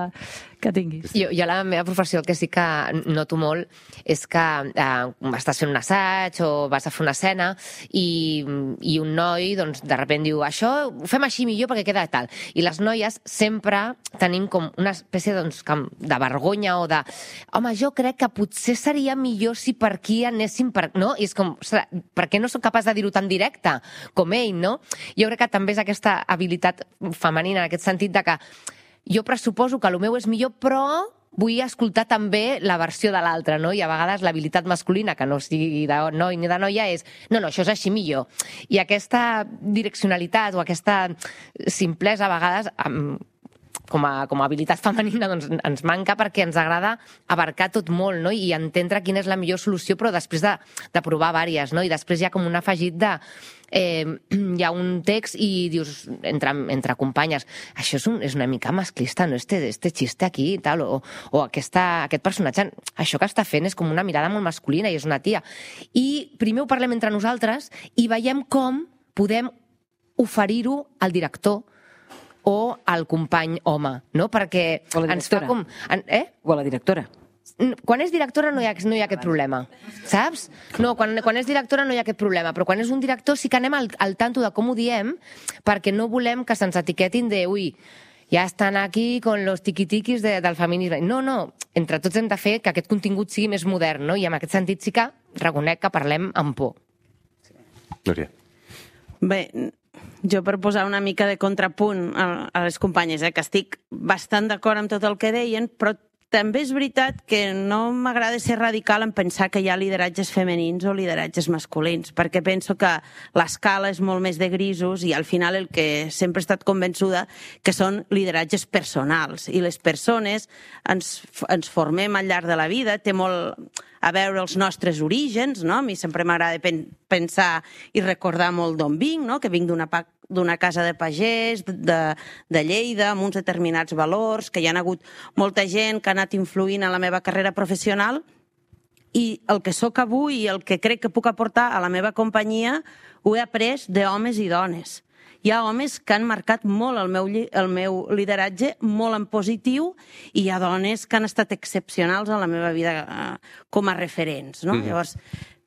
que tinguis. Jo, jo a la meva professió el que sí que noto molt és que eh, estàs fent un assaig o vas a fer una escena i, i un noi doncs, de sobte diu això ho fem així millor perquè queda tal. I les noies sempre tenim com una espècie doncs, de vergonya o de home, jo crec que potser seria millor si per aquí anéssim per... No? I és com, ostres, per què no soc capaç de dir-ho tan directe com ell, no? Jo crec que també és aquesta habilitat femenina en aquest sentit de que jo pressuposo que el meu és millor, però vull escoltar també la versió de l'altre, no? I a vegades l'habilitat masculina, que no sigui de noi ni de noia, és no, no, això és així millor. I aquesta direccionalitat o aquesta simplesa a vegades com a, com a habilitat femenina doncs, ens manca perquè ens agrada abarcar tot molt, no? I entendre quina és la millor solució, però després de, de provar vàries, no? I després hi ha com un afegit de eh, hi ha un text i dius entre, entre companyes, això és, un, és una mica masclista, no? Este, este xiste aquí i tal, o, o aquesta, aquest personatge, això que està fent és com una mirada molt masculina i és una tia. I primer ho parlem entre nosaltres i veiem com podem oferir-ho al director o al company home, no? Perquè o la ens fa directora. com... Eh? O a la directora. Quan és directora no hi ha, no hi ha aquest problema, saps? No, quan, quan és directora no hi ha aquest problema, però quan és un director sí que anem al, al tanto de com ho diem, perquè no volem que se'ns etiquetin de, ui, ja estan aquí con los tiquitiquis de, del feminisme. No, no, entre tots hem de fer que aquest contingut sigui més modern, no? I en aquest sentit sí que reconec que parlem amb por. Núria. Bé, jo per posar una mica de contrapunt a, a les companyes, eh, que estic bastant d'acord amb tot el que deien, però també és veritat que no m'agrada ser radical en pensar que hi ha lideratges femenins o lideratges masculins, perquè penso que l'escala és molt més de grisos i al final el que sempre he estat convençuda que són lideratges personals i les persones ens, ens formem al llarg de la vida, té molt a veure els nostres orígens, no? A mi sempre m'agrada pen pensar i recordar molt d'on vinc, no? Que vinc d'una d'una casa de pagès, de, de Lleida, amb uns determinats valors, que hi ha hagut molta gent que ha anat influint en la meva carrera professional, i el que sóc avui i el que crec que puc aportar a la meva companyia ho he après d'homes i dones. Hi ha homes que han marcat molt el meu, el meu lideratge, molt en positiu, i hi ha dones que han estat excepcionals en la meva vida eh, com a referents, no? Mm. Llavors,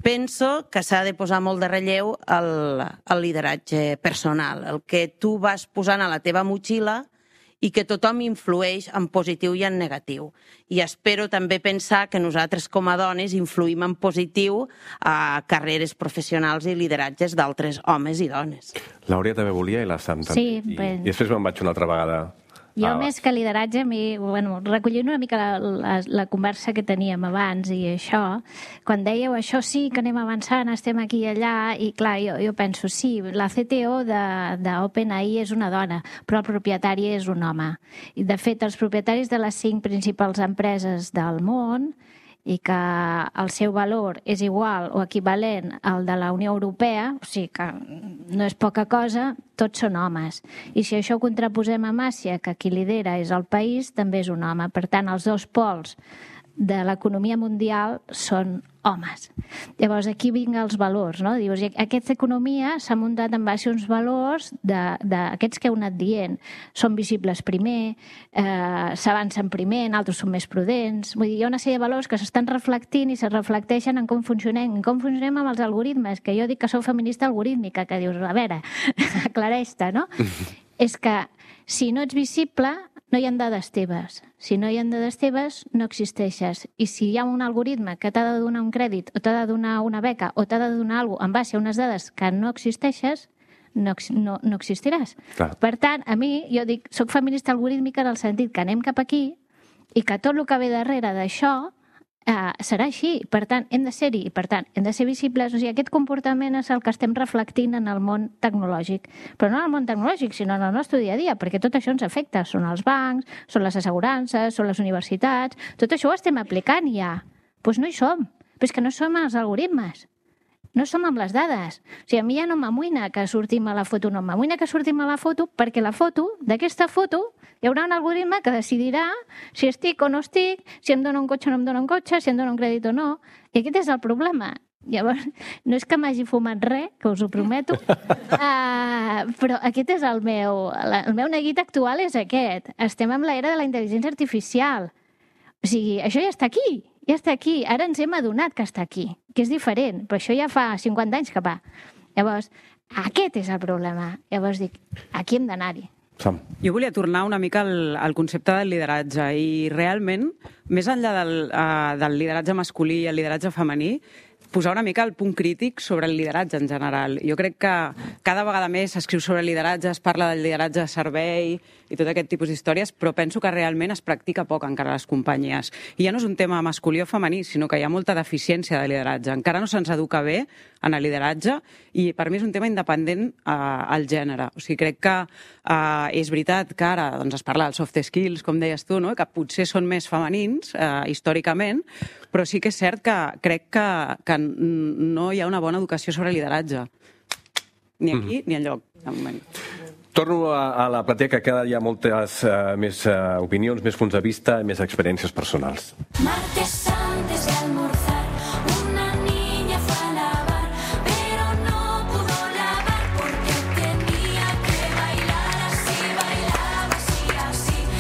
penso que s'ha de posar molt de relleu el, el lideratge personal, el que tu vas posant a la teva motxilla i que tothom influeix en positiu i en negatiu. I espero també pensar que nosaltres com a dones influïm en positiu a carreres professionals i lideratges d'altres homes i dones. L'Àurea també volia i la Sam també. Sí, I, ben... I després me'n vaig una altra vegada. Jo, ah, més que lideratge, mi, bueno, recollint una mica la, la, la conversa que teníem abans i això, quan dèieu això sí que anem avançant, estem aquí i allà, i clar, jo, jo penso, sí, la C T O d'OpenAI és una dona, però el propietari és un home. I, de fet, els propietaris de les cinc principals empreses del món i que el seu valor és igual o equivalent al de la Unió Europea, o sigui que no és poca cosa, tots són homes. I si això ho contraposem a Àsia, que qui lidera és el país, també és un home. Per tant, els dos pols de l'economia mundial són homes. Llavors, aquí vinga els valors, no? Dius, aquesta economia s'ha muntat en base a uns valors d'aquests que heu anat dient. Són visibles primer, eh, s'avancen primer, altres són més prudents. Vull dir, hi ha una sèrie de valors que s'estan reflectint i se reflecteixen en com funcionem, en com funcionem amb els algoritmes, que jo dic que sou feminista algorítmica, que dius, a veure, aclareix-te, no? És que si no ets visible, no hi ha dades teves. Si no hi ha dades teves, no existeixes. I si hi ha un algoritme que t'ha de donar un crèdit, o t'ha de donar una beca, o t'ha de donar alguna cosa en base a unes dades que no existeixes, no, no, no existiràs. Clar. Per tant, a mi, jo dic, soc feminista algorítmica en el sentit que anem cap aquí i que tot el que ve darrere d'això Uh, serà així, per tant, hem de ser-hi, i per tant, hem de ser visibles. O sigui, aquest comportament és el que estem reflectint en el món tecnològic, però no en el món tecnològic, sinó en el nostre dia a dia, perquè tot això ens afecta. Són els bancs, són les assegurances, són les universitats, tot això ho estem aplicant ja. Doncs pues no hi som, però és que no som els algoritmes. No som amb les dades. O sigui, a mi ja no m'amoïna que sortim a la foto, no m'amoïna que sortim a la foto, perquè la foto, d'aquesta foto, hi haurà un algoritme que decidirà si estic o no estic, si em dona un cotxe o no em dona un cotxe, si em dona un crèdit o no. I aquest és el problema. Llavors, no és que m'hagi fumat res, que us ho prometo, uh, però aquest és el meu... El meu neguit actual és aquest. Estem en l'era de la intel·ligència artificial. O sigui, això ja està aquí. Ja està aquí. Ara ens hem adonat que està aquí, que és diferent, però això ja fa cinquanta anys que va. Llavors, aquest és el problema. Llavors dic, aquí hem d'anar-hi. Sam. Jo volia tornar una mica al, al concepte del lideratge i realment, més enllà del, uh, del lideratge masculí i el lideratge femení, posar una mica el punt crític sobre el lideratge en general. Jo crec que cada vegada més s'escriu sobre lideratge, es parla del lideratge de servei i tot aquest tipus d'històries, però penso que realment es practica poc encara a les companyies. I ja no és un tema masculí o femení, sinó que hi ha molta deficiència de lideratge. Encara no se'ns educa bé en el lideratge i per mi és un tema independent eh, al gènere. O sigui, crec que eh, és veritat que ara doncs, es parla dels soft skills, com deies tu, no? Que potser són més femenins eh, històricament, però sí que és cert que crec que, que no hi ha una bona educació sobre lideratge. Ni aquí mm. ni enlloc, de moment. Torno a, a la platea, que queda hi ha moltes uh, més uh, opinions, més punts de vista i més experiències personals. Martes antes de almorzar, una niña fue a lavar, pero no pudo lavar porque tenía que bailar así, bailar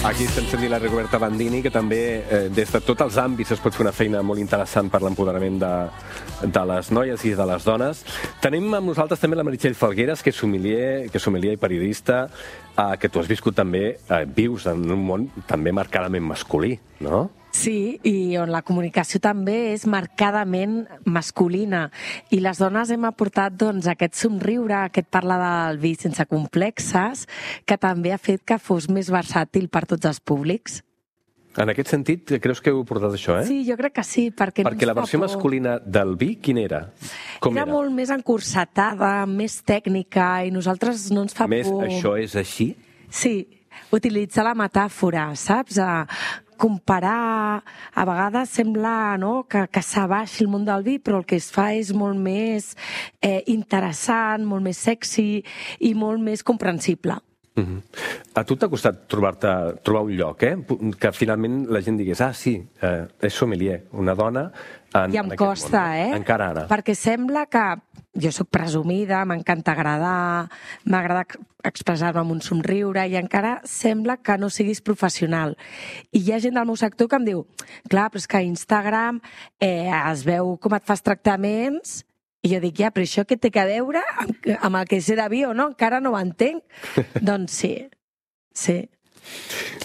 Aquí estem sentint la Rigoberta Bandini, que també eh, des de tots els àmbits es pot fer una feina molt interessant per l'empoderament de, de les noies i de les dones. Tenim amb nosaltres també la Meritxell Falgueres, que és sommelier, que és sommelier i periodista, eh, que tu has viscut també, eh, vius en un món també marcadament masculí, no? Sí, i on la comunicació també és marcadament masculina. I les dones hem aportat doncs, aquest somriure, aquest parlar del vi sense complexes, que també ha fet que fos més versàtil per tots els públics. En aquest sentit, creus que heu portat això, eh? Sí, jo crec que sí, perquè... Perquè la versió masculina del vi, quina era? Com era? Era molt més encursetada, més tècnica, i nosaltres no ens fa Més, por... això és així? Sí, utilitzar la metàfora, saps? A comparar, a vegades sembla no, que, que s'abaixi el món del vi, però el que es fa és molt més eh, interessant, molt més sexy i molt més comprensible. Uh-huh. A tu t'ha costat trobar-te trobar un lloc, eh? Que finalment la gent digués, ah, sí, eh, és sommelier, una dona en, I em en aquest costa, món. eh? Encara ara. Perquè sembla que jo sóc presumida, m'encanta agradar, m'agrada expressar-me amb un somriure i encara sembla que no siguis professional. I hi ha gent del meu sector que em diu, clar, però és que a Instagram eh, es veu com et fas tractaments i jo dic, ja, però això què té a veure amb, amb el que sé de vi o no? Encara no ho entenc. Doncs sí, sí.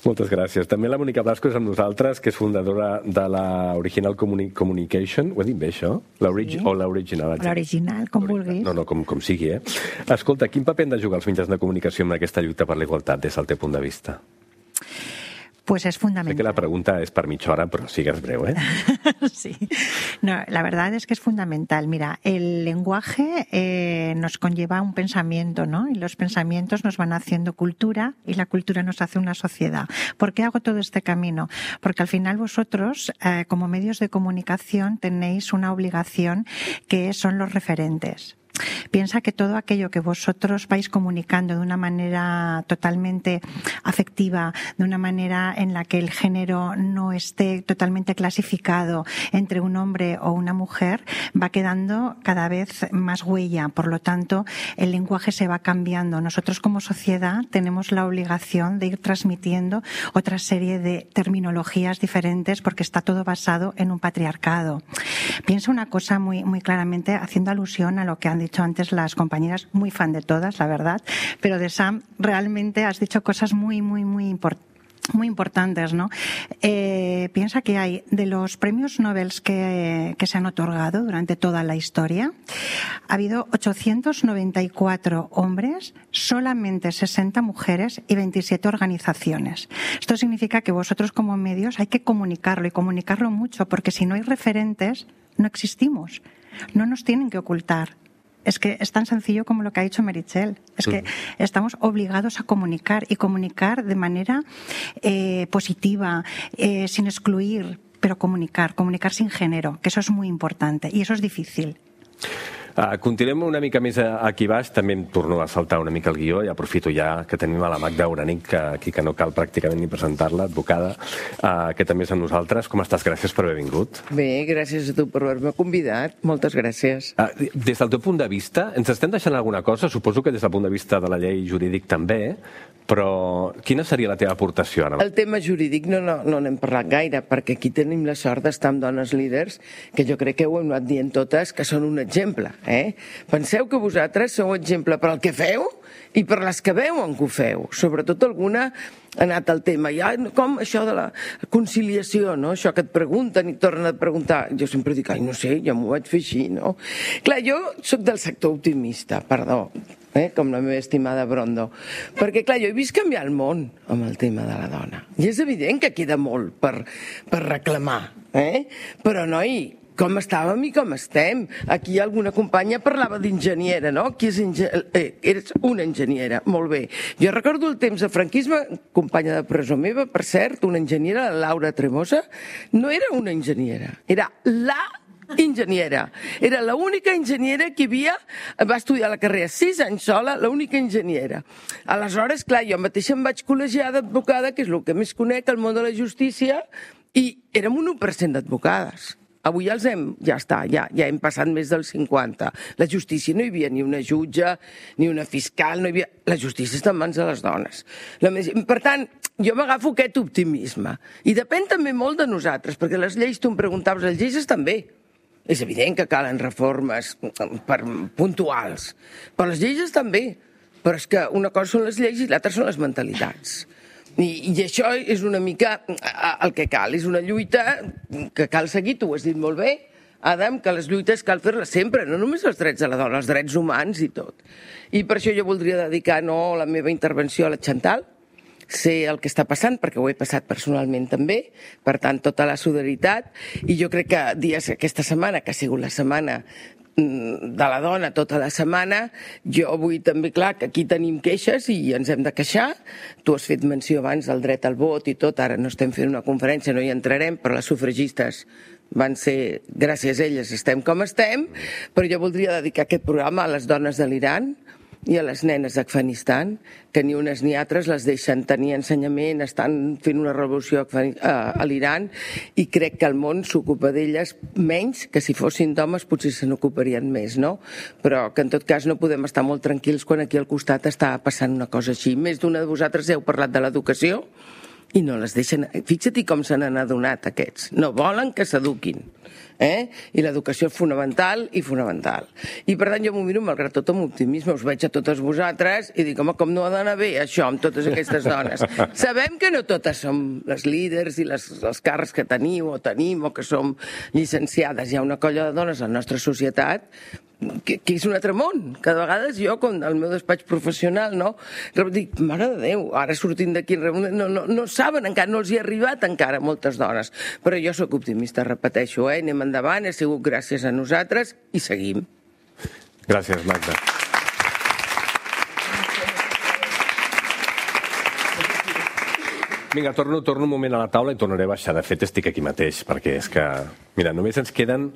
Moltes gràcies. També la Mònica Blasco és amb nosaltres, que és fundadora de la Original Communi Communication. Ho he dit bé, això? L'origi sí. O l'original? L'original, com vulguis. No, no, com, com sigui, eh? Escolta, quin paper han de jugar els mitjans de comunicació en aquesta lluita per la igualtat des del teu punt de vista? Pues es fundamental. Sé que la pregunta es para mitja hora, pero sigues breve, ¿eh? Sí. No, la verdad es que es fundamental. Mira, el lenguaje eh, nos conlleva un pensamiento, ¿no? Y los pensamientos nos van haciendo cultura y la cultura nos hace una sociedad. ¿Por qué hago todo este camino? Porque al final vosotros, eh, como medios de comunicación, tenéis una obligación que son los referentes. Piensa que todo aquello que vosotros vais comunicando de una manera totalmente afectiva, de una manera en la que el género no esté totalmente clasificado entre un hombre o una mujer, va quedando cada vez más huella. Por lo tanto, el lenguaje se va cambiando. Nosotros como sociedad tenemos la obligación de ir transmitiendo otra serie de terminologías diferentes porque está todo basado en un patriarcado. Piensa una cosa muy, muy claramente, haciendo alusión a lo que han dicho antes las compañeras, muy fan de todas, la verdad, pero de Sam realmente has dicho cosas muy, muy, muy importantes. Muy importantes, ¿no? Eh, piensa que hay de los premios Nobel que, que se han otorgado durante toda la historia, ha habido ochocientos noventa y cuatro hombres, solamente sesenta mujeres y veintisiete organizaciones. Esto significa que vosotros como medios hay que comunicarlo y comunicarlo mucho, porque si no hay referentes, no existimos. No nos tienen que ocultar. Es que es tan sencillo como lo que ha dicho Meritxell. Es que estamos obligados a comunicar y comunicar de manera eh, positiva, eh, sin excluir, pero comunicar, comunicar sin género, que eso es muy importante y eso es difícil. Uh, continuem una mica més aquí baix, també em torno a saltar una mica el guió i aprofito ja que tenim a la Magda Uranic, que aquí que no cal pràcticament ni presentar-la, advocada, uh, que també és amb nosaltres. Com estàs? Gràcies per haver vingut. Bé, gràcies a tu per haver-me convidat. Moltes gràcies. Uh, des del teu punt de vista, ens estem deixant alguna cosa? Suposo que des del punt de vista de la llei jurídic també, però quina seria la teva aportació ara? El tema jurídic no no, no n'hem parlat gaire, perquè aquí tenim la sort d'estar amb dones líders, que jo crec que ho hem anat dient totes, que són un exemple. Eh? Penseu que vosaltres sou exemple per al que feu i per les que veuen que ho feu. Sobretot alguna ha anat al tema. Ja, com això de la conciliació, no? Això que et pregunten i tornen a preguntar. Jo sempre dic, ai, no sé, ja m'ho vaig fer així, no? Clar, jo sóc del sector optimista, perdó, eh? Com la meva estimada Brondo. Perquè, clar, jo he vist canviar el món amb el tema de la dona. I és evident que queda molt per, per reclamar, eh? Però, noi, com estàvem i com estem. Aquí alguna companya parlava d'enginyera, no? Qui és enginyera? Eh, eres una enginyera, molt bé. Jo recordo el temps de franquisme, companya de presó meva, per cert, una enginyera, la Laura Tremosa, no era una enginyera, era la enginyera. Era l'única enginyera que hi havia, va estudiar la carrera sis anys sola, l'única enginyera. Aleshores, clar, jo mateixa em vaig col·legiar d'advocada, que és el que més conec al món de la justícia, i érem un u per cent d'advocades. Avui els hem, ja està, ja, ja hem passat més del cinquanta. La justícia no hi havia ni una jutge, ni una fiscal, no hi havia... La justícia està en mans de les dones. La més... Per tant, jo m'agafo aquest optimisme. I depèn també molt de nosaltres, perquè les lleis, tu em preguntaves, les lleis estan bé. És evident que calen reformes per, puntuals, però les lleis estan bé. Però és que una cosa són les lleis i l'altra són les mentalitats. I, I això és una mica el que cal. És una lluita que cal seguir, tu ho has dit molt bé, Adam, que les lluites cal fer-les sempre, no només els drets de la dona, els drets humans i tot. I per això jo voldria dedicar no la meva intervenció a la Chantal, sé el que està passant, perquè ho he passat personalment també, per tant, tota la solidaritat, i jo crec que dies aquesta setmana, que ha sigut la setmana de la dona tota la setmana, jo vull també, clar, que aquí tenim queixes i ens hem de queixar. Tu has fet menció abans del dret al vot i tot, ara no estem fent una conferència, no hi entrarem, però les sufragistes van ser, gràcies a elles estem com estem, però jo voldria dedicar aquest programa a les dones de l'Iran i a les nenes d'Afganistan, que ni unes ni altres les deixen tenir ensenyament, estan fent una revolució a l'Iran i crec que el món s'ocupa d'elles menys que si fossin d'homes potser se n'ocuparien més, no? Però que en tot cas no podem estar molt tranquils quan aquí al costat està passant una cosa així. Més d'una de vosaltres heu parlat de l'educació i no les deixen... Fixa't com se n'han adonat aquests. No volen que s'eduquin. Eh? I l'educació és fonamental i fonamental. I per tant jo m'ho miro malgrat tot amb optimisme, us veig a totes vosaltres i dic, home, com no ha d'anar bé això amb totes aquestes dones? Sabem que no totes som les líders i les, els càrrecs que teniu o tenim o que som llicenciades. Hi ha una colla de dones a la nostra societat que, que és un altre món. Cada vegada jo, com al meu despatx professional, no? Dic, mare de Déu, ara sortint d'aquí, no, no, no saben encara, no els hi ha arribat encara moltes dones. Però jo sóc optimista, repeteixo, eh? Anem endavant, ha sigut gràcies a nosaltres i seguim. Gràcies, Magda. Vinga, torno, torno un moment a la taula i tornaré a baixar. De fet, estic aquí mateix, perquè és que... Mira, només ens queden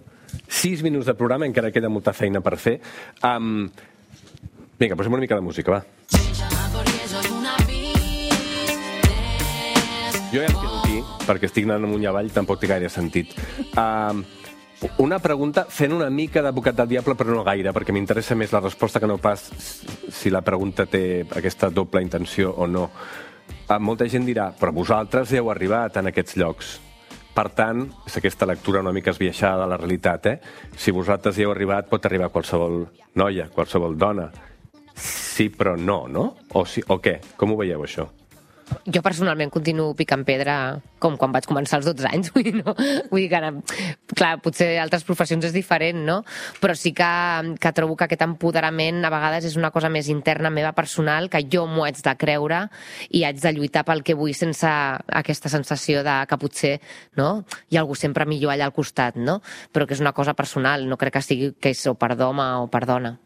sis minuts de programa, encara queda molta feina per fer. Um... Vinga, posem una mica de música, va. Jo ja em quedo aquí, perquè estic anant amunt i avall, tampoc té gaire sentit. Um... Una pregunta fent una mica d'advocat del diable, però no gaire, perquè m'interessa més la resposta que no pas si la pregunta té aquesta doble intenció o no. Molta gent dirà, però vosaltres heu arribat en aquests llocs. Per tant, és aquesta lectura una mica esbiaixada de la realitat, eh? Si vosaltres hi heu arribat, pot arribar qualsevol noia, qualsevol dona. Sí, però no, no? O, sí, o què? Com ho veieu, això? Jo personalment continuo picant pedra com quan vaig començar als dotze anys, vull dir, no? Vull dir que ara, clar, potser altres professions és diferent, no? Però sí que, que trobo que aquest empoderament a vegades és una cosa més interna meva personal, que jo m'ho haig de creure i haig de lluitar pel que vull sense aquesta sensació de que potser, no? Hi ha algú sempre millor allà al costat, no? Però que és una cosa personal, no crec que sigui que és o per d'home o per dona.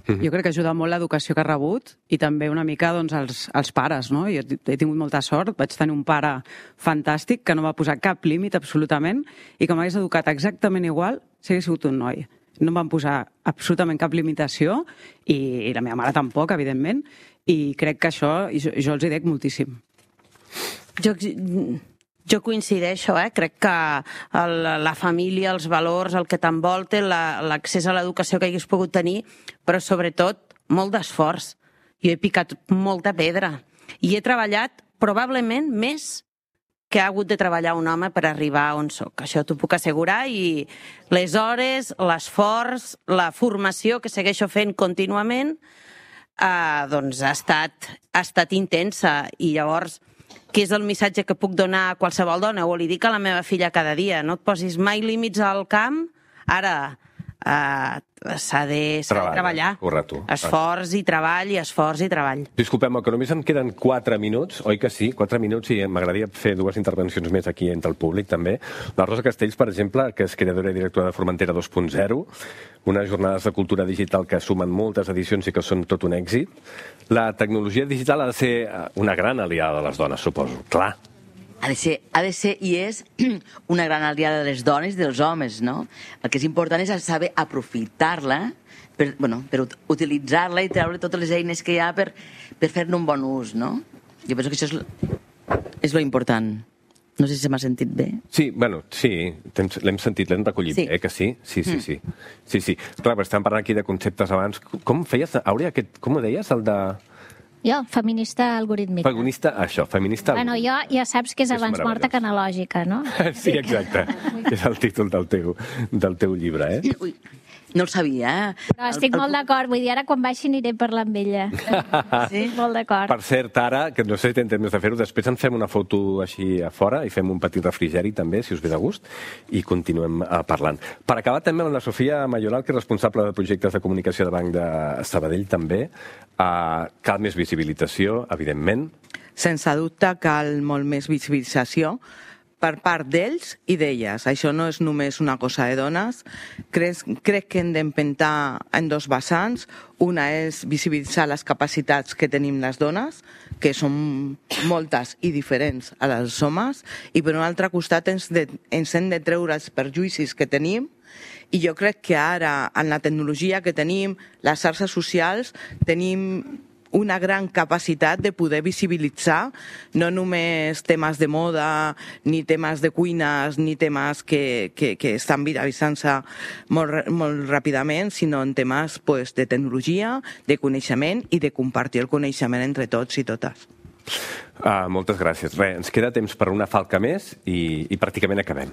Jo crec que ajuda molt l'educació que ha rebut i també una mica doncs, els, els pares, no? Jo he tingut molta sort, vaig tenir un pare fantàstic que no va posar cap límit absolutament i que m'hagués educat exactament igual si hagués sigut un noi. No em van posar absolutament cap limitació i, i la meva mare tampoc, evidentment, i crec que això jo, jo els hi dec moltíssim. Jo... Jo coincideixo, eh? Crec que el, la família, els valors, el que t'envolta, l'accés a l'educació que hagués pogut tenir, però sobretot molt d'esforç. Jo he picat molta pedra i he treballat probablement més que ha hagut de treballar un home per arribar on soc. Això t'ho puc assegurar i les hores, l'esforç, la formació que segueixo fent contínuament, eh, doncs ha estat, ha estat intensa i llavors... que és el missatge que puc donar a qualsevol dona, o li dic a la meva filla cada dia, no et posis mai límits al camp, ara eh, s'ha de, de treballar. Correcte. Esforç i treball, i esforç i treball. Disculpem, que només em queden quatre minuts, oi que sí? Quatre minuts i m'agradaria fer dues intervencions més aquí entre el públic, també. La Rosa Castells, per exemple, que és creadora i directora de Formentera dos punt zero, unes jornades de cultura digital que sumen moltes edicions i que són tot un èxit. La tecnologia digital ha de ser una gran aliada de les dones, suposo. Clar. Ha de ser, ha de ser i és una gran aliada de les dones i dels homes, no? El que és important és saber aprofitar-la, per, bueno, per utilitzar-la i treure totes les eines que hi ha per, per fer-ne un bon ús, no? Jo penso que això és, és lo important. No sé si se m'ha sentit bé. Sí, bueno, sí, l'hem sentit, l'hem recollit, sí. Eh, que sí? Sí, sí, sí. sí, sí. Clar, però estàvem parlant aquí de conceptes abans. Com feies, Àurea, aquest, com ho deies, el de... Jo, feminista algorítmica. Feminista, això, feminista... Bueno, jo ja saps que és És abans morta que analògica, no? Sí, exacte. És el títol del teu, del teu llibre, eh? Ui, no el sabia, eh? Però estic molt d'acord, vull dir, ara quan baixi aniré a parlar amb ella. Estic molt d'acord. Per cert, ara, que no sé si tenen temps de fer-ho, després en fem una foto així a fora i fem un petit refrigeri també, si us ve de gust, i continuem uh, parlant. Per acabar també amb la Sofia Mayoral, que és responsable de projectes de comunicació de Banc de Sabadell també. Uh, cal més visibilització, evidentment. Sense dubte cal molt més visibilització per part d'ells i d'elles. Això no és només una cosa de dones. Crec, crec que hem d'empentar en dos vessants. Una és visibilitzar les capacitats que tenim les dones, que són moltes i diferents a les dels homes, i per un altre costat ens, de, ens hem de treure els perjuïcis que tenim. I jo crec que ara, en la tecnologia que tenim, les xarxes socials, tenim una gran capacitat de poder visibilitzar no només temes de moda, ni temes de cuines, ni temes que, que, que estan viralitzant-se molt, molt ràpidament, sinó en temes pues, de tecnologia, de coneixement i de compartir el coneixement entre tots i totes. Uh, moltes gràcies. Bé, ens queda temps per una falca més i, i pràcticament acabem.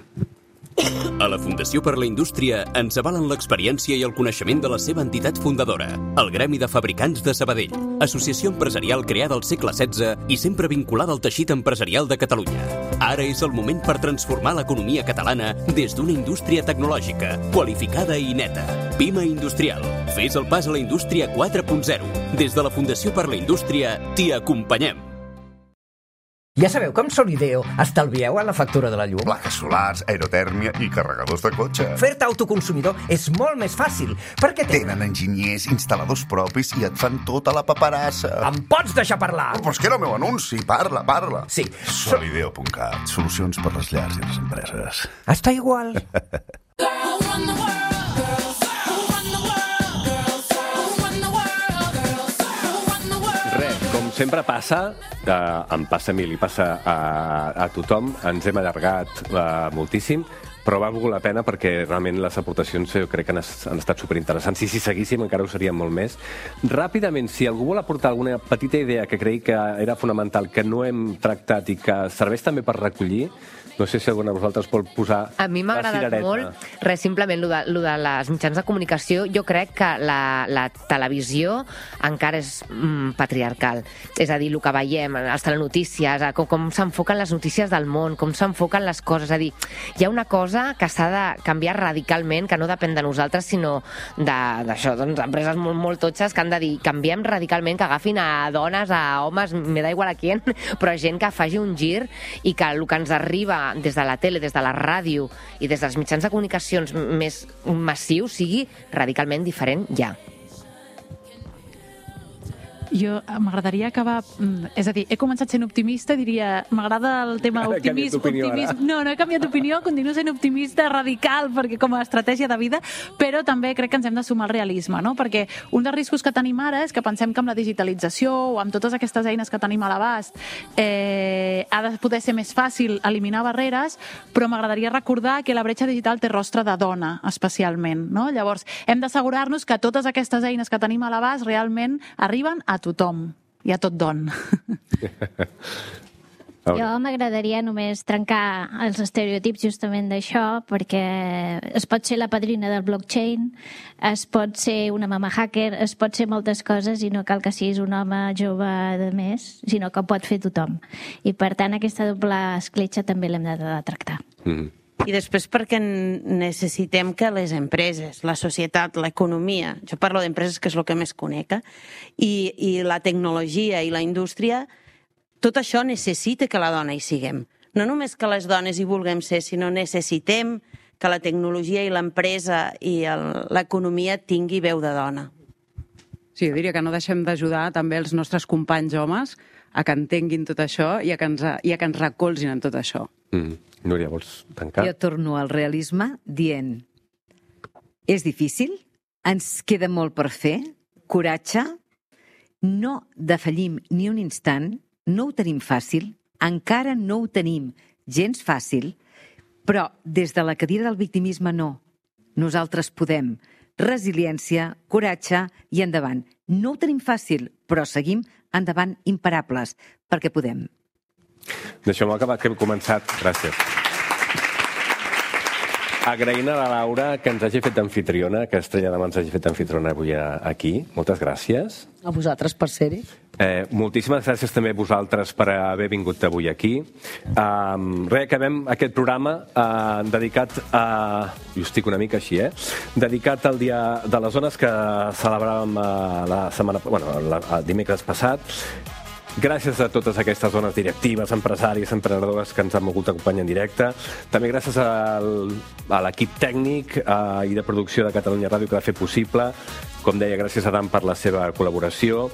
A la Fundació per la Indústria ens avalen l'experiència i el coneixement de la seva entitat fundadora, el Gremi de Fabricants de Sabadell, associació empresarial creada al segle setze i sempre vinculada al teixit empresarial de Catalunya. Ara és el moment per transformar l'economia catalana des d'una indústria tecnològica, qualificada i neta. Pima Industrial. Fes el pas a la indústria quatre punt zero. Des de la Fundació per la Indústria t'hi acompanyem. Ja sabeu com Solideo estalvieu en la factura de la llum? Plaques solars, aerotèrmia i carregadors de cotxe. Fer-te autoconsumidor és molt més fàcil, perquè tenen enginyers, instal·ladors propis i et fan tota la paperassa. Em pots deixar parlar? Oh, però és que era el meu anunci, parla, parla. Sí. Solideo punt cat, solucions per les llars i les empreses. Està igual. Sempre passa, eh, em passa a mi, li passa a, a tothom, ens hem allargat eh, moltíssim, però va valgut la pena perquè realment les aportacions jo crec que han, han estat superinteressants. I si seguíssim encara ho serien molt més. Ràpidament, si algú vol aportar alguna petita idea que cregui que era fonamental, que no hem tractat i que serveix també per recollir, no sé si alguna de vosaltres vol posar a mi m'ha agradat molt, res, simplement, lo de, lo de les mitjans de comunicació, jo crec que la, la televisió encara és mm, patriarcal. És a dir, el que veiem, les telenotícies, com, com s'enfoquen les notícies del món, com s'enfoquen les coses. És a dir, hi ha una cosa que s'ha de canviar radicalment, que no depèn de nosaltres, sinó d'això, doncs, empreses molt, molt totxes que han de dir, canviem radicalment, que agafin a dones, a homes, me da igual a qui, però gent que faci un gir i que el que ens arriba des de la tele, des de la ràdio i des dels mitjans de comunicacions més massius sigui radicalment diferent ja. Jo m'agradaria acabar... És a dir, he començat sent optimista, diria... M'agrada el tema optimisme... optimisme no, no he canviat d'opinió, continuo sent optimista radical, perquè com a estratègia de vida, però també crec que ens hem de sumar al realisme, no? Perquè un dels riscos que tenim ara és que pensem que amb la digitalització o amb totes aquestes eines que tenim a l'abast eh, ha de poder ser més fàcil eliminar barreres, però m'agradaria recordar que la bretxa digital té rostre de dona, especialment, no? Llavors, hem d'assegurar-nos que totes aquestes eines que tenim a l'abast realment arriben a tothom i a tot don. Jo m'agradaria només trencar els estereotips justament d'això, perquè es pot ser la padrina del blockchain, es pot ser una mama hacker, es pot ser moltes coses i no cal que siguis un home jove de més, sinó que ho pot fer tothom. I per tant aquesta doble escletxa també l'hem de, de tractar. Mm-hmm. I després perquè necessitem que les empreses, la societat, l'economia, jo parlo d'empreses que és el que més conec, i, i la tecnologia i la indústria, tot això necessita que la dona hi siguem. No només que les dones hi vulguem ser, sinó necessitem que la tecnologia i l'empresa i l'economia tingui veu de dona. Sí, jo diria que no deixem d'ajudar també els nostres companys homes a que entenguin tot això i a que ens, i a que ens recolzin en tot això. Mm. Núria, vols tancar? Jo torno al realisme dient és difícil, ens queda molt per fer, coratge, no defallim ni un instant, no ho tenim fàcil, encara no ho tenim gens fàcil, però des de la cadira del victimisme no. Nosaltres podem. Resiliència, coratge i endavant. No ho tenim fàcil, però seguim endavant, imparables, perquè podem. Deixeu-me acabar que hem començat. Gràcies. Agraint a la Laura que ens hagi fet anfitriona, que Estrella Damm ens hagi fet anfitriona avui aquí. Moltes gràcies. A vosaltres per ser-hi. Eh, moltíssimes gràcies també a vosaltres per haver vingut avui aquí. Um, Re, acabem aquest programa uh, dedicat a... Jo estic una mica així, eh? Dedicat al Dia de les Dones que celebràvem uh, la setmana... Bueno, la, el dimecres passat. Gràcies a totes aquestes dones directives, empresàries, emprenedores que ens han volgut acompanyar en directe. També gràcies al, a l'equip tècnic eh, i de producció de Catalunya Ràdio que l'ha fet possible. Com deia, gràcies a Dan per la seva col·laboració.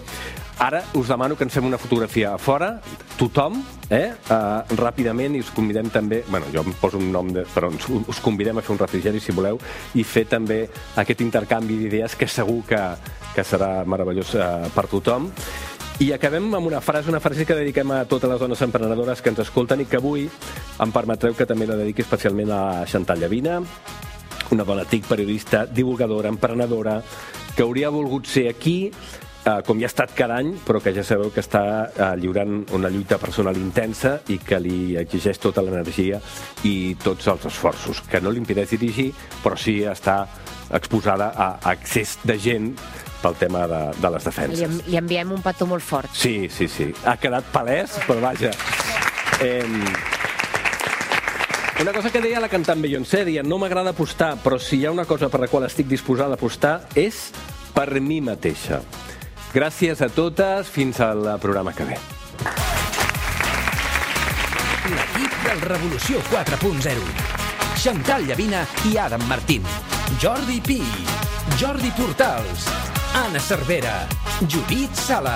Ara us demano que ens fem una fotografia a fora, tothom, eh, eh, ràpidament, i us convidem també, bueno, jo em poso un nom, de, però us convidem a fer un refrigeri, si voleu, i fer també aquest intercanvi d'idees que segur que, que serà meravellós eh, per tothom. I acabem amb una frase, una frase que dediquem a totes les dones emprenedores que ens escolten i que avui em permetreu que també la dediqui especialment a Chantal Llavina, una dona T I C, periodista, divulgadora, emprenedora, que hauria volgut ser aquí, eh, com ja ha estat cada any, però que ja sabeu que està eh, lliurant una lluita personal intensa i que li exigeix tota l'energia i tots els esforços, que no li impedeix dirigir, però sí està exposada a accés de gent pel tema de, de les defenses. Li, li enviem un petó molt fort. Sí, sí, sí. Ha quedat palès, però vaja. Eh, una cosa que deia la cantant Beyoncé, deia, no m'agrada apostar, però si hi ha una cosa per la qual estic disposada a apostar és per mi mateixa. Gràcies a totes, fins al programa que ve. L'equip del Revolució quatre punt zero. Chantal Llavina i Adam Martín. Jordi Pi. Jordi Portals. Anna Cervera, Judit Sala,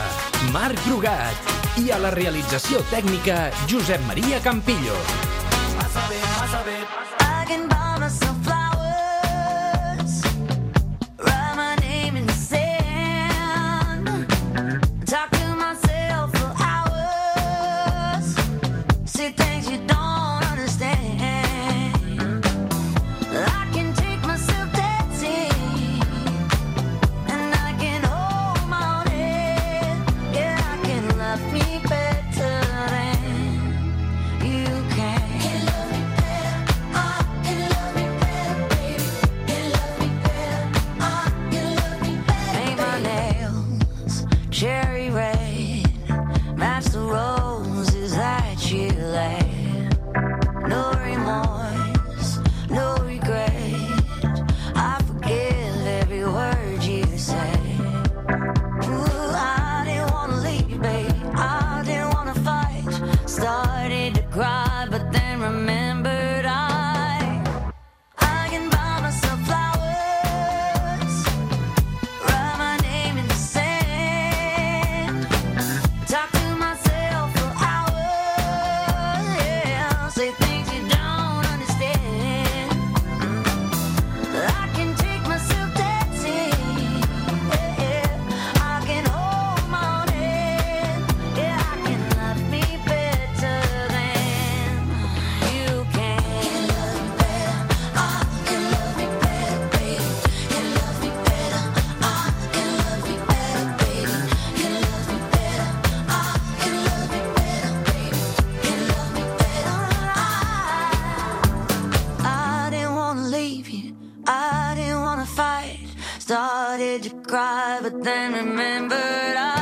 Marc Brugat i a la realització tècnica Josep Maria Campillo. I can buy myself flowers, write my name in the sand, talk to myself for hours, see things you don't understand. I can take myself dancing. Me better than you can. Can love me better. I can love me better, baby. Can love me better. I can love me better. Paint my nails cherry red, match the roses that you laid. No remorse, no regret. I forgive every word you say. Started to cry, but then remembered I I can buy myself flowers, write my name in the sand, talk to myself for hours, yeah, say things you don't understand. I can take myself dancing, yeah, I can hold my own hand, yeah, I can love me better. Started to cry, but then remembered I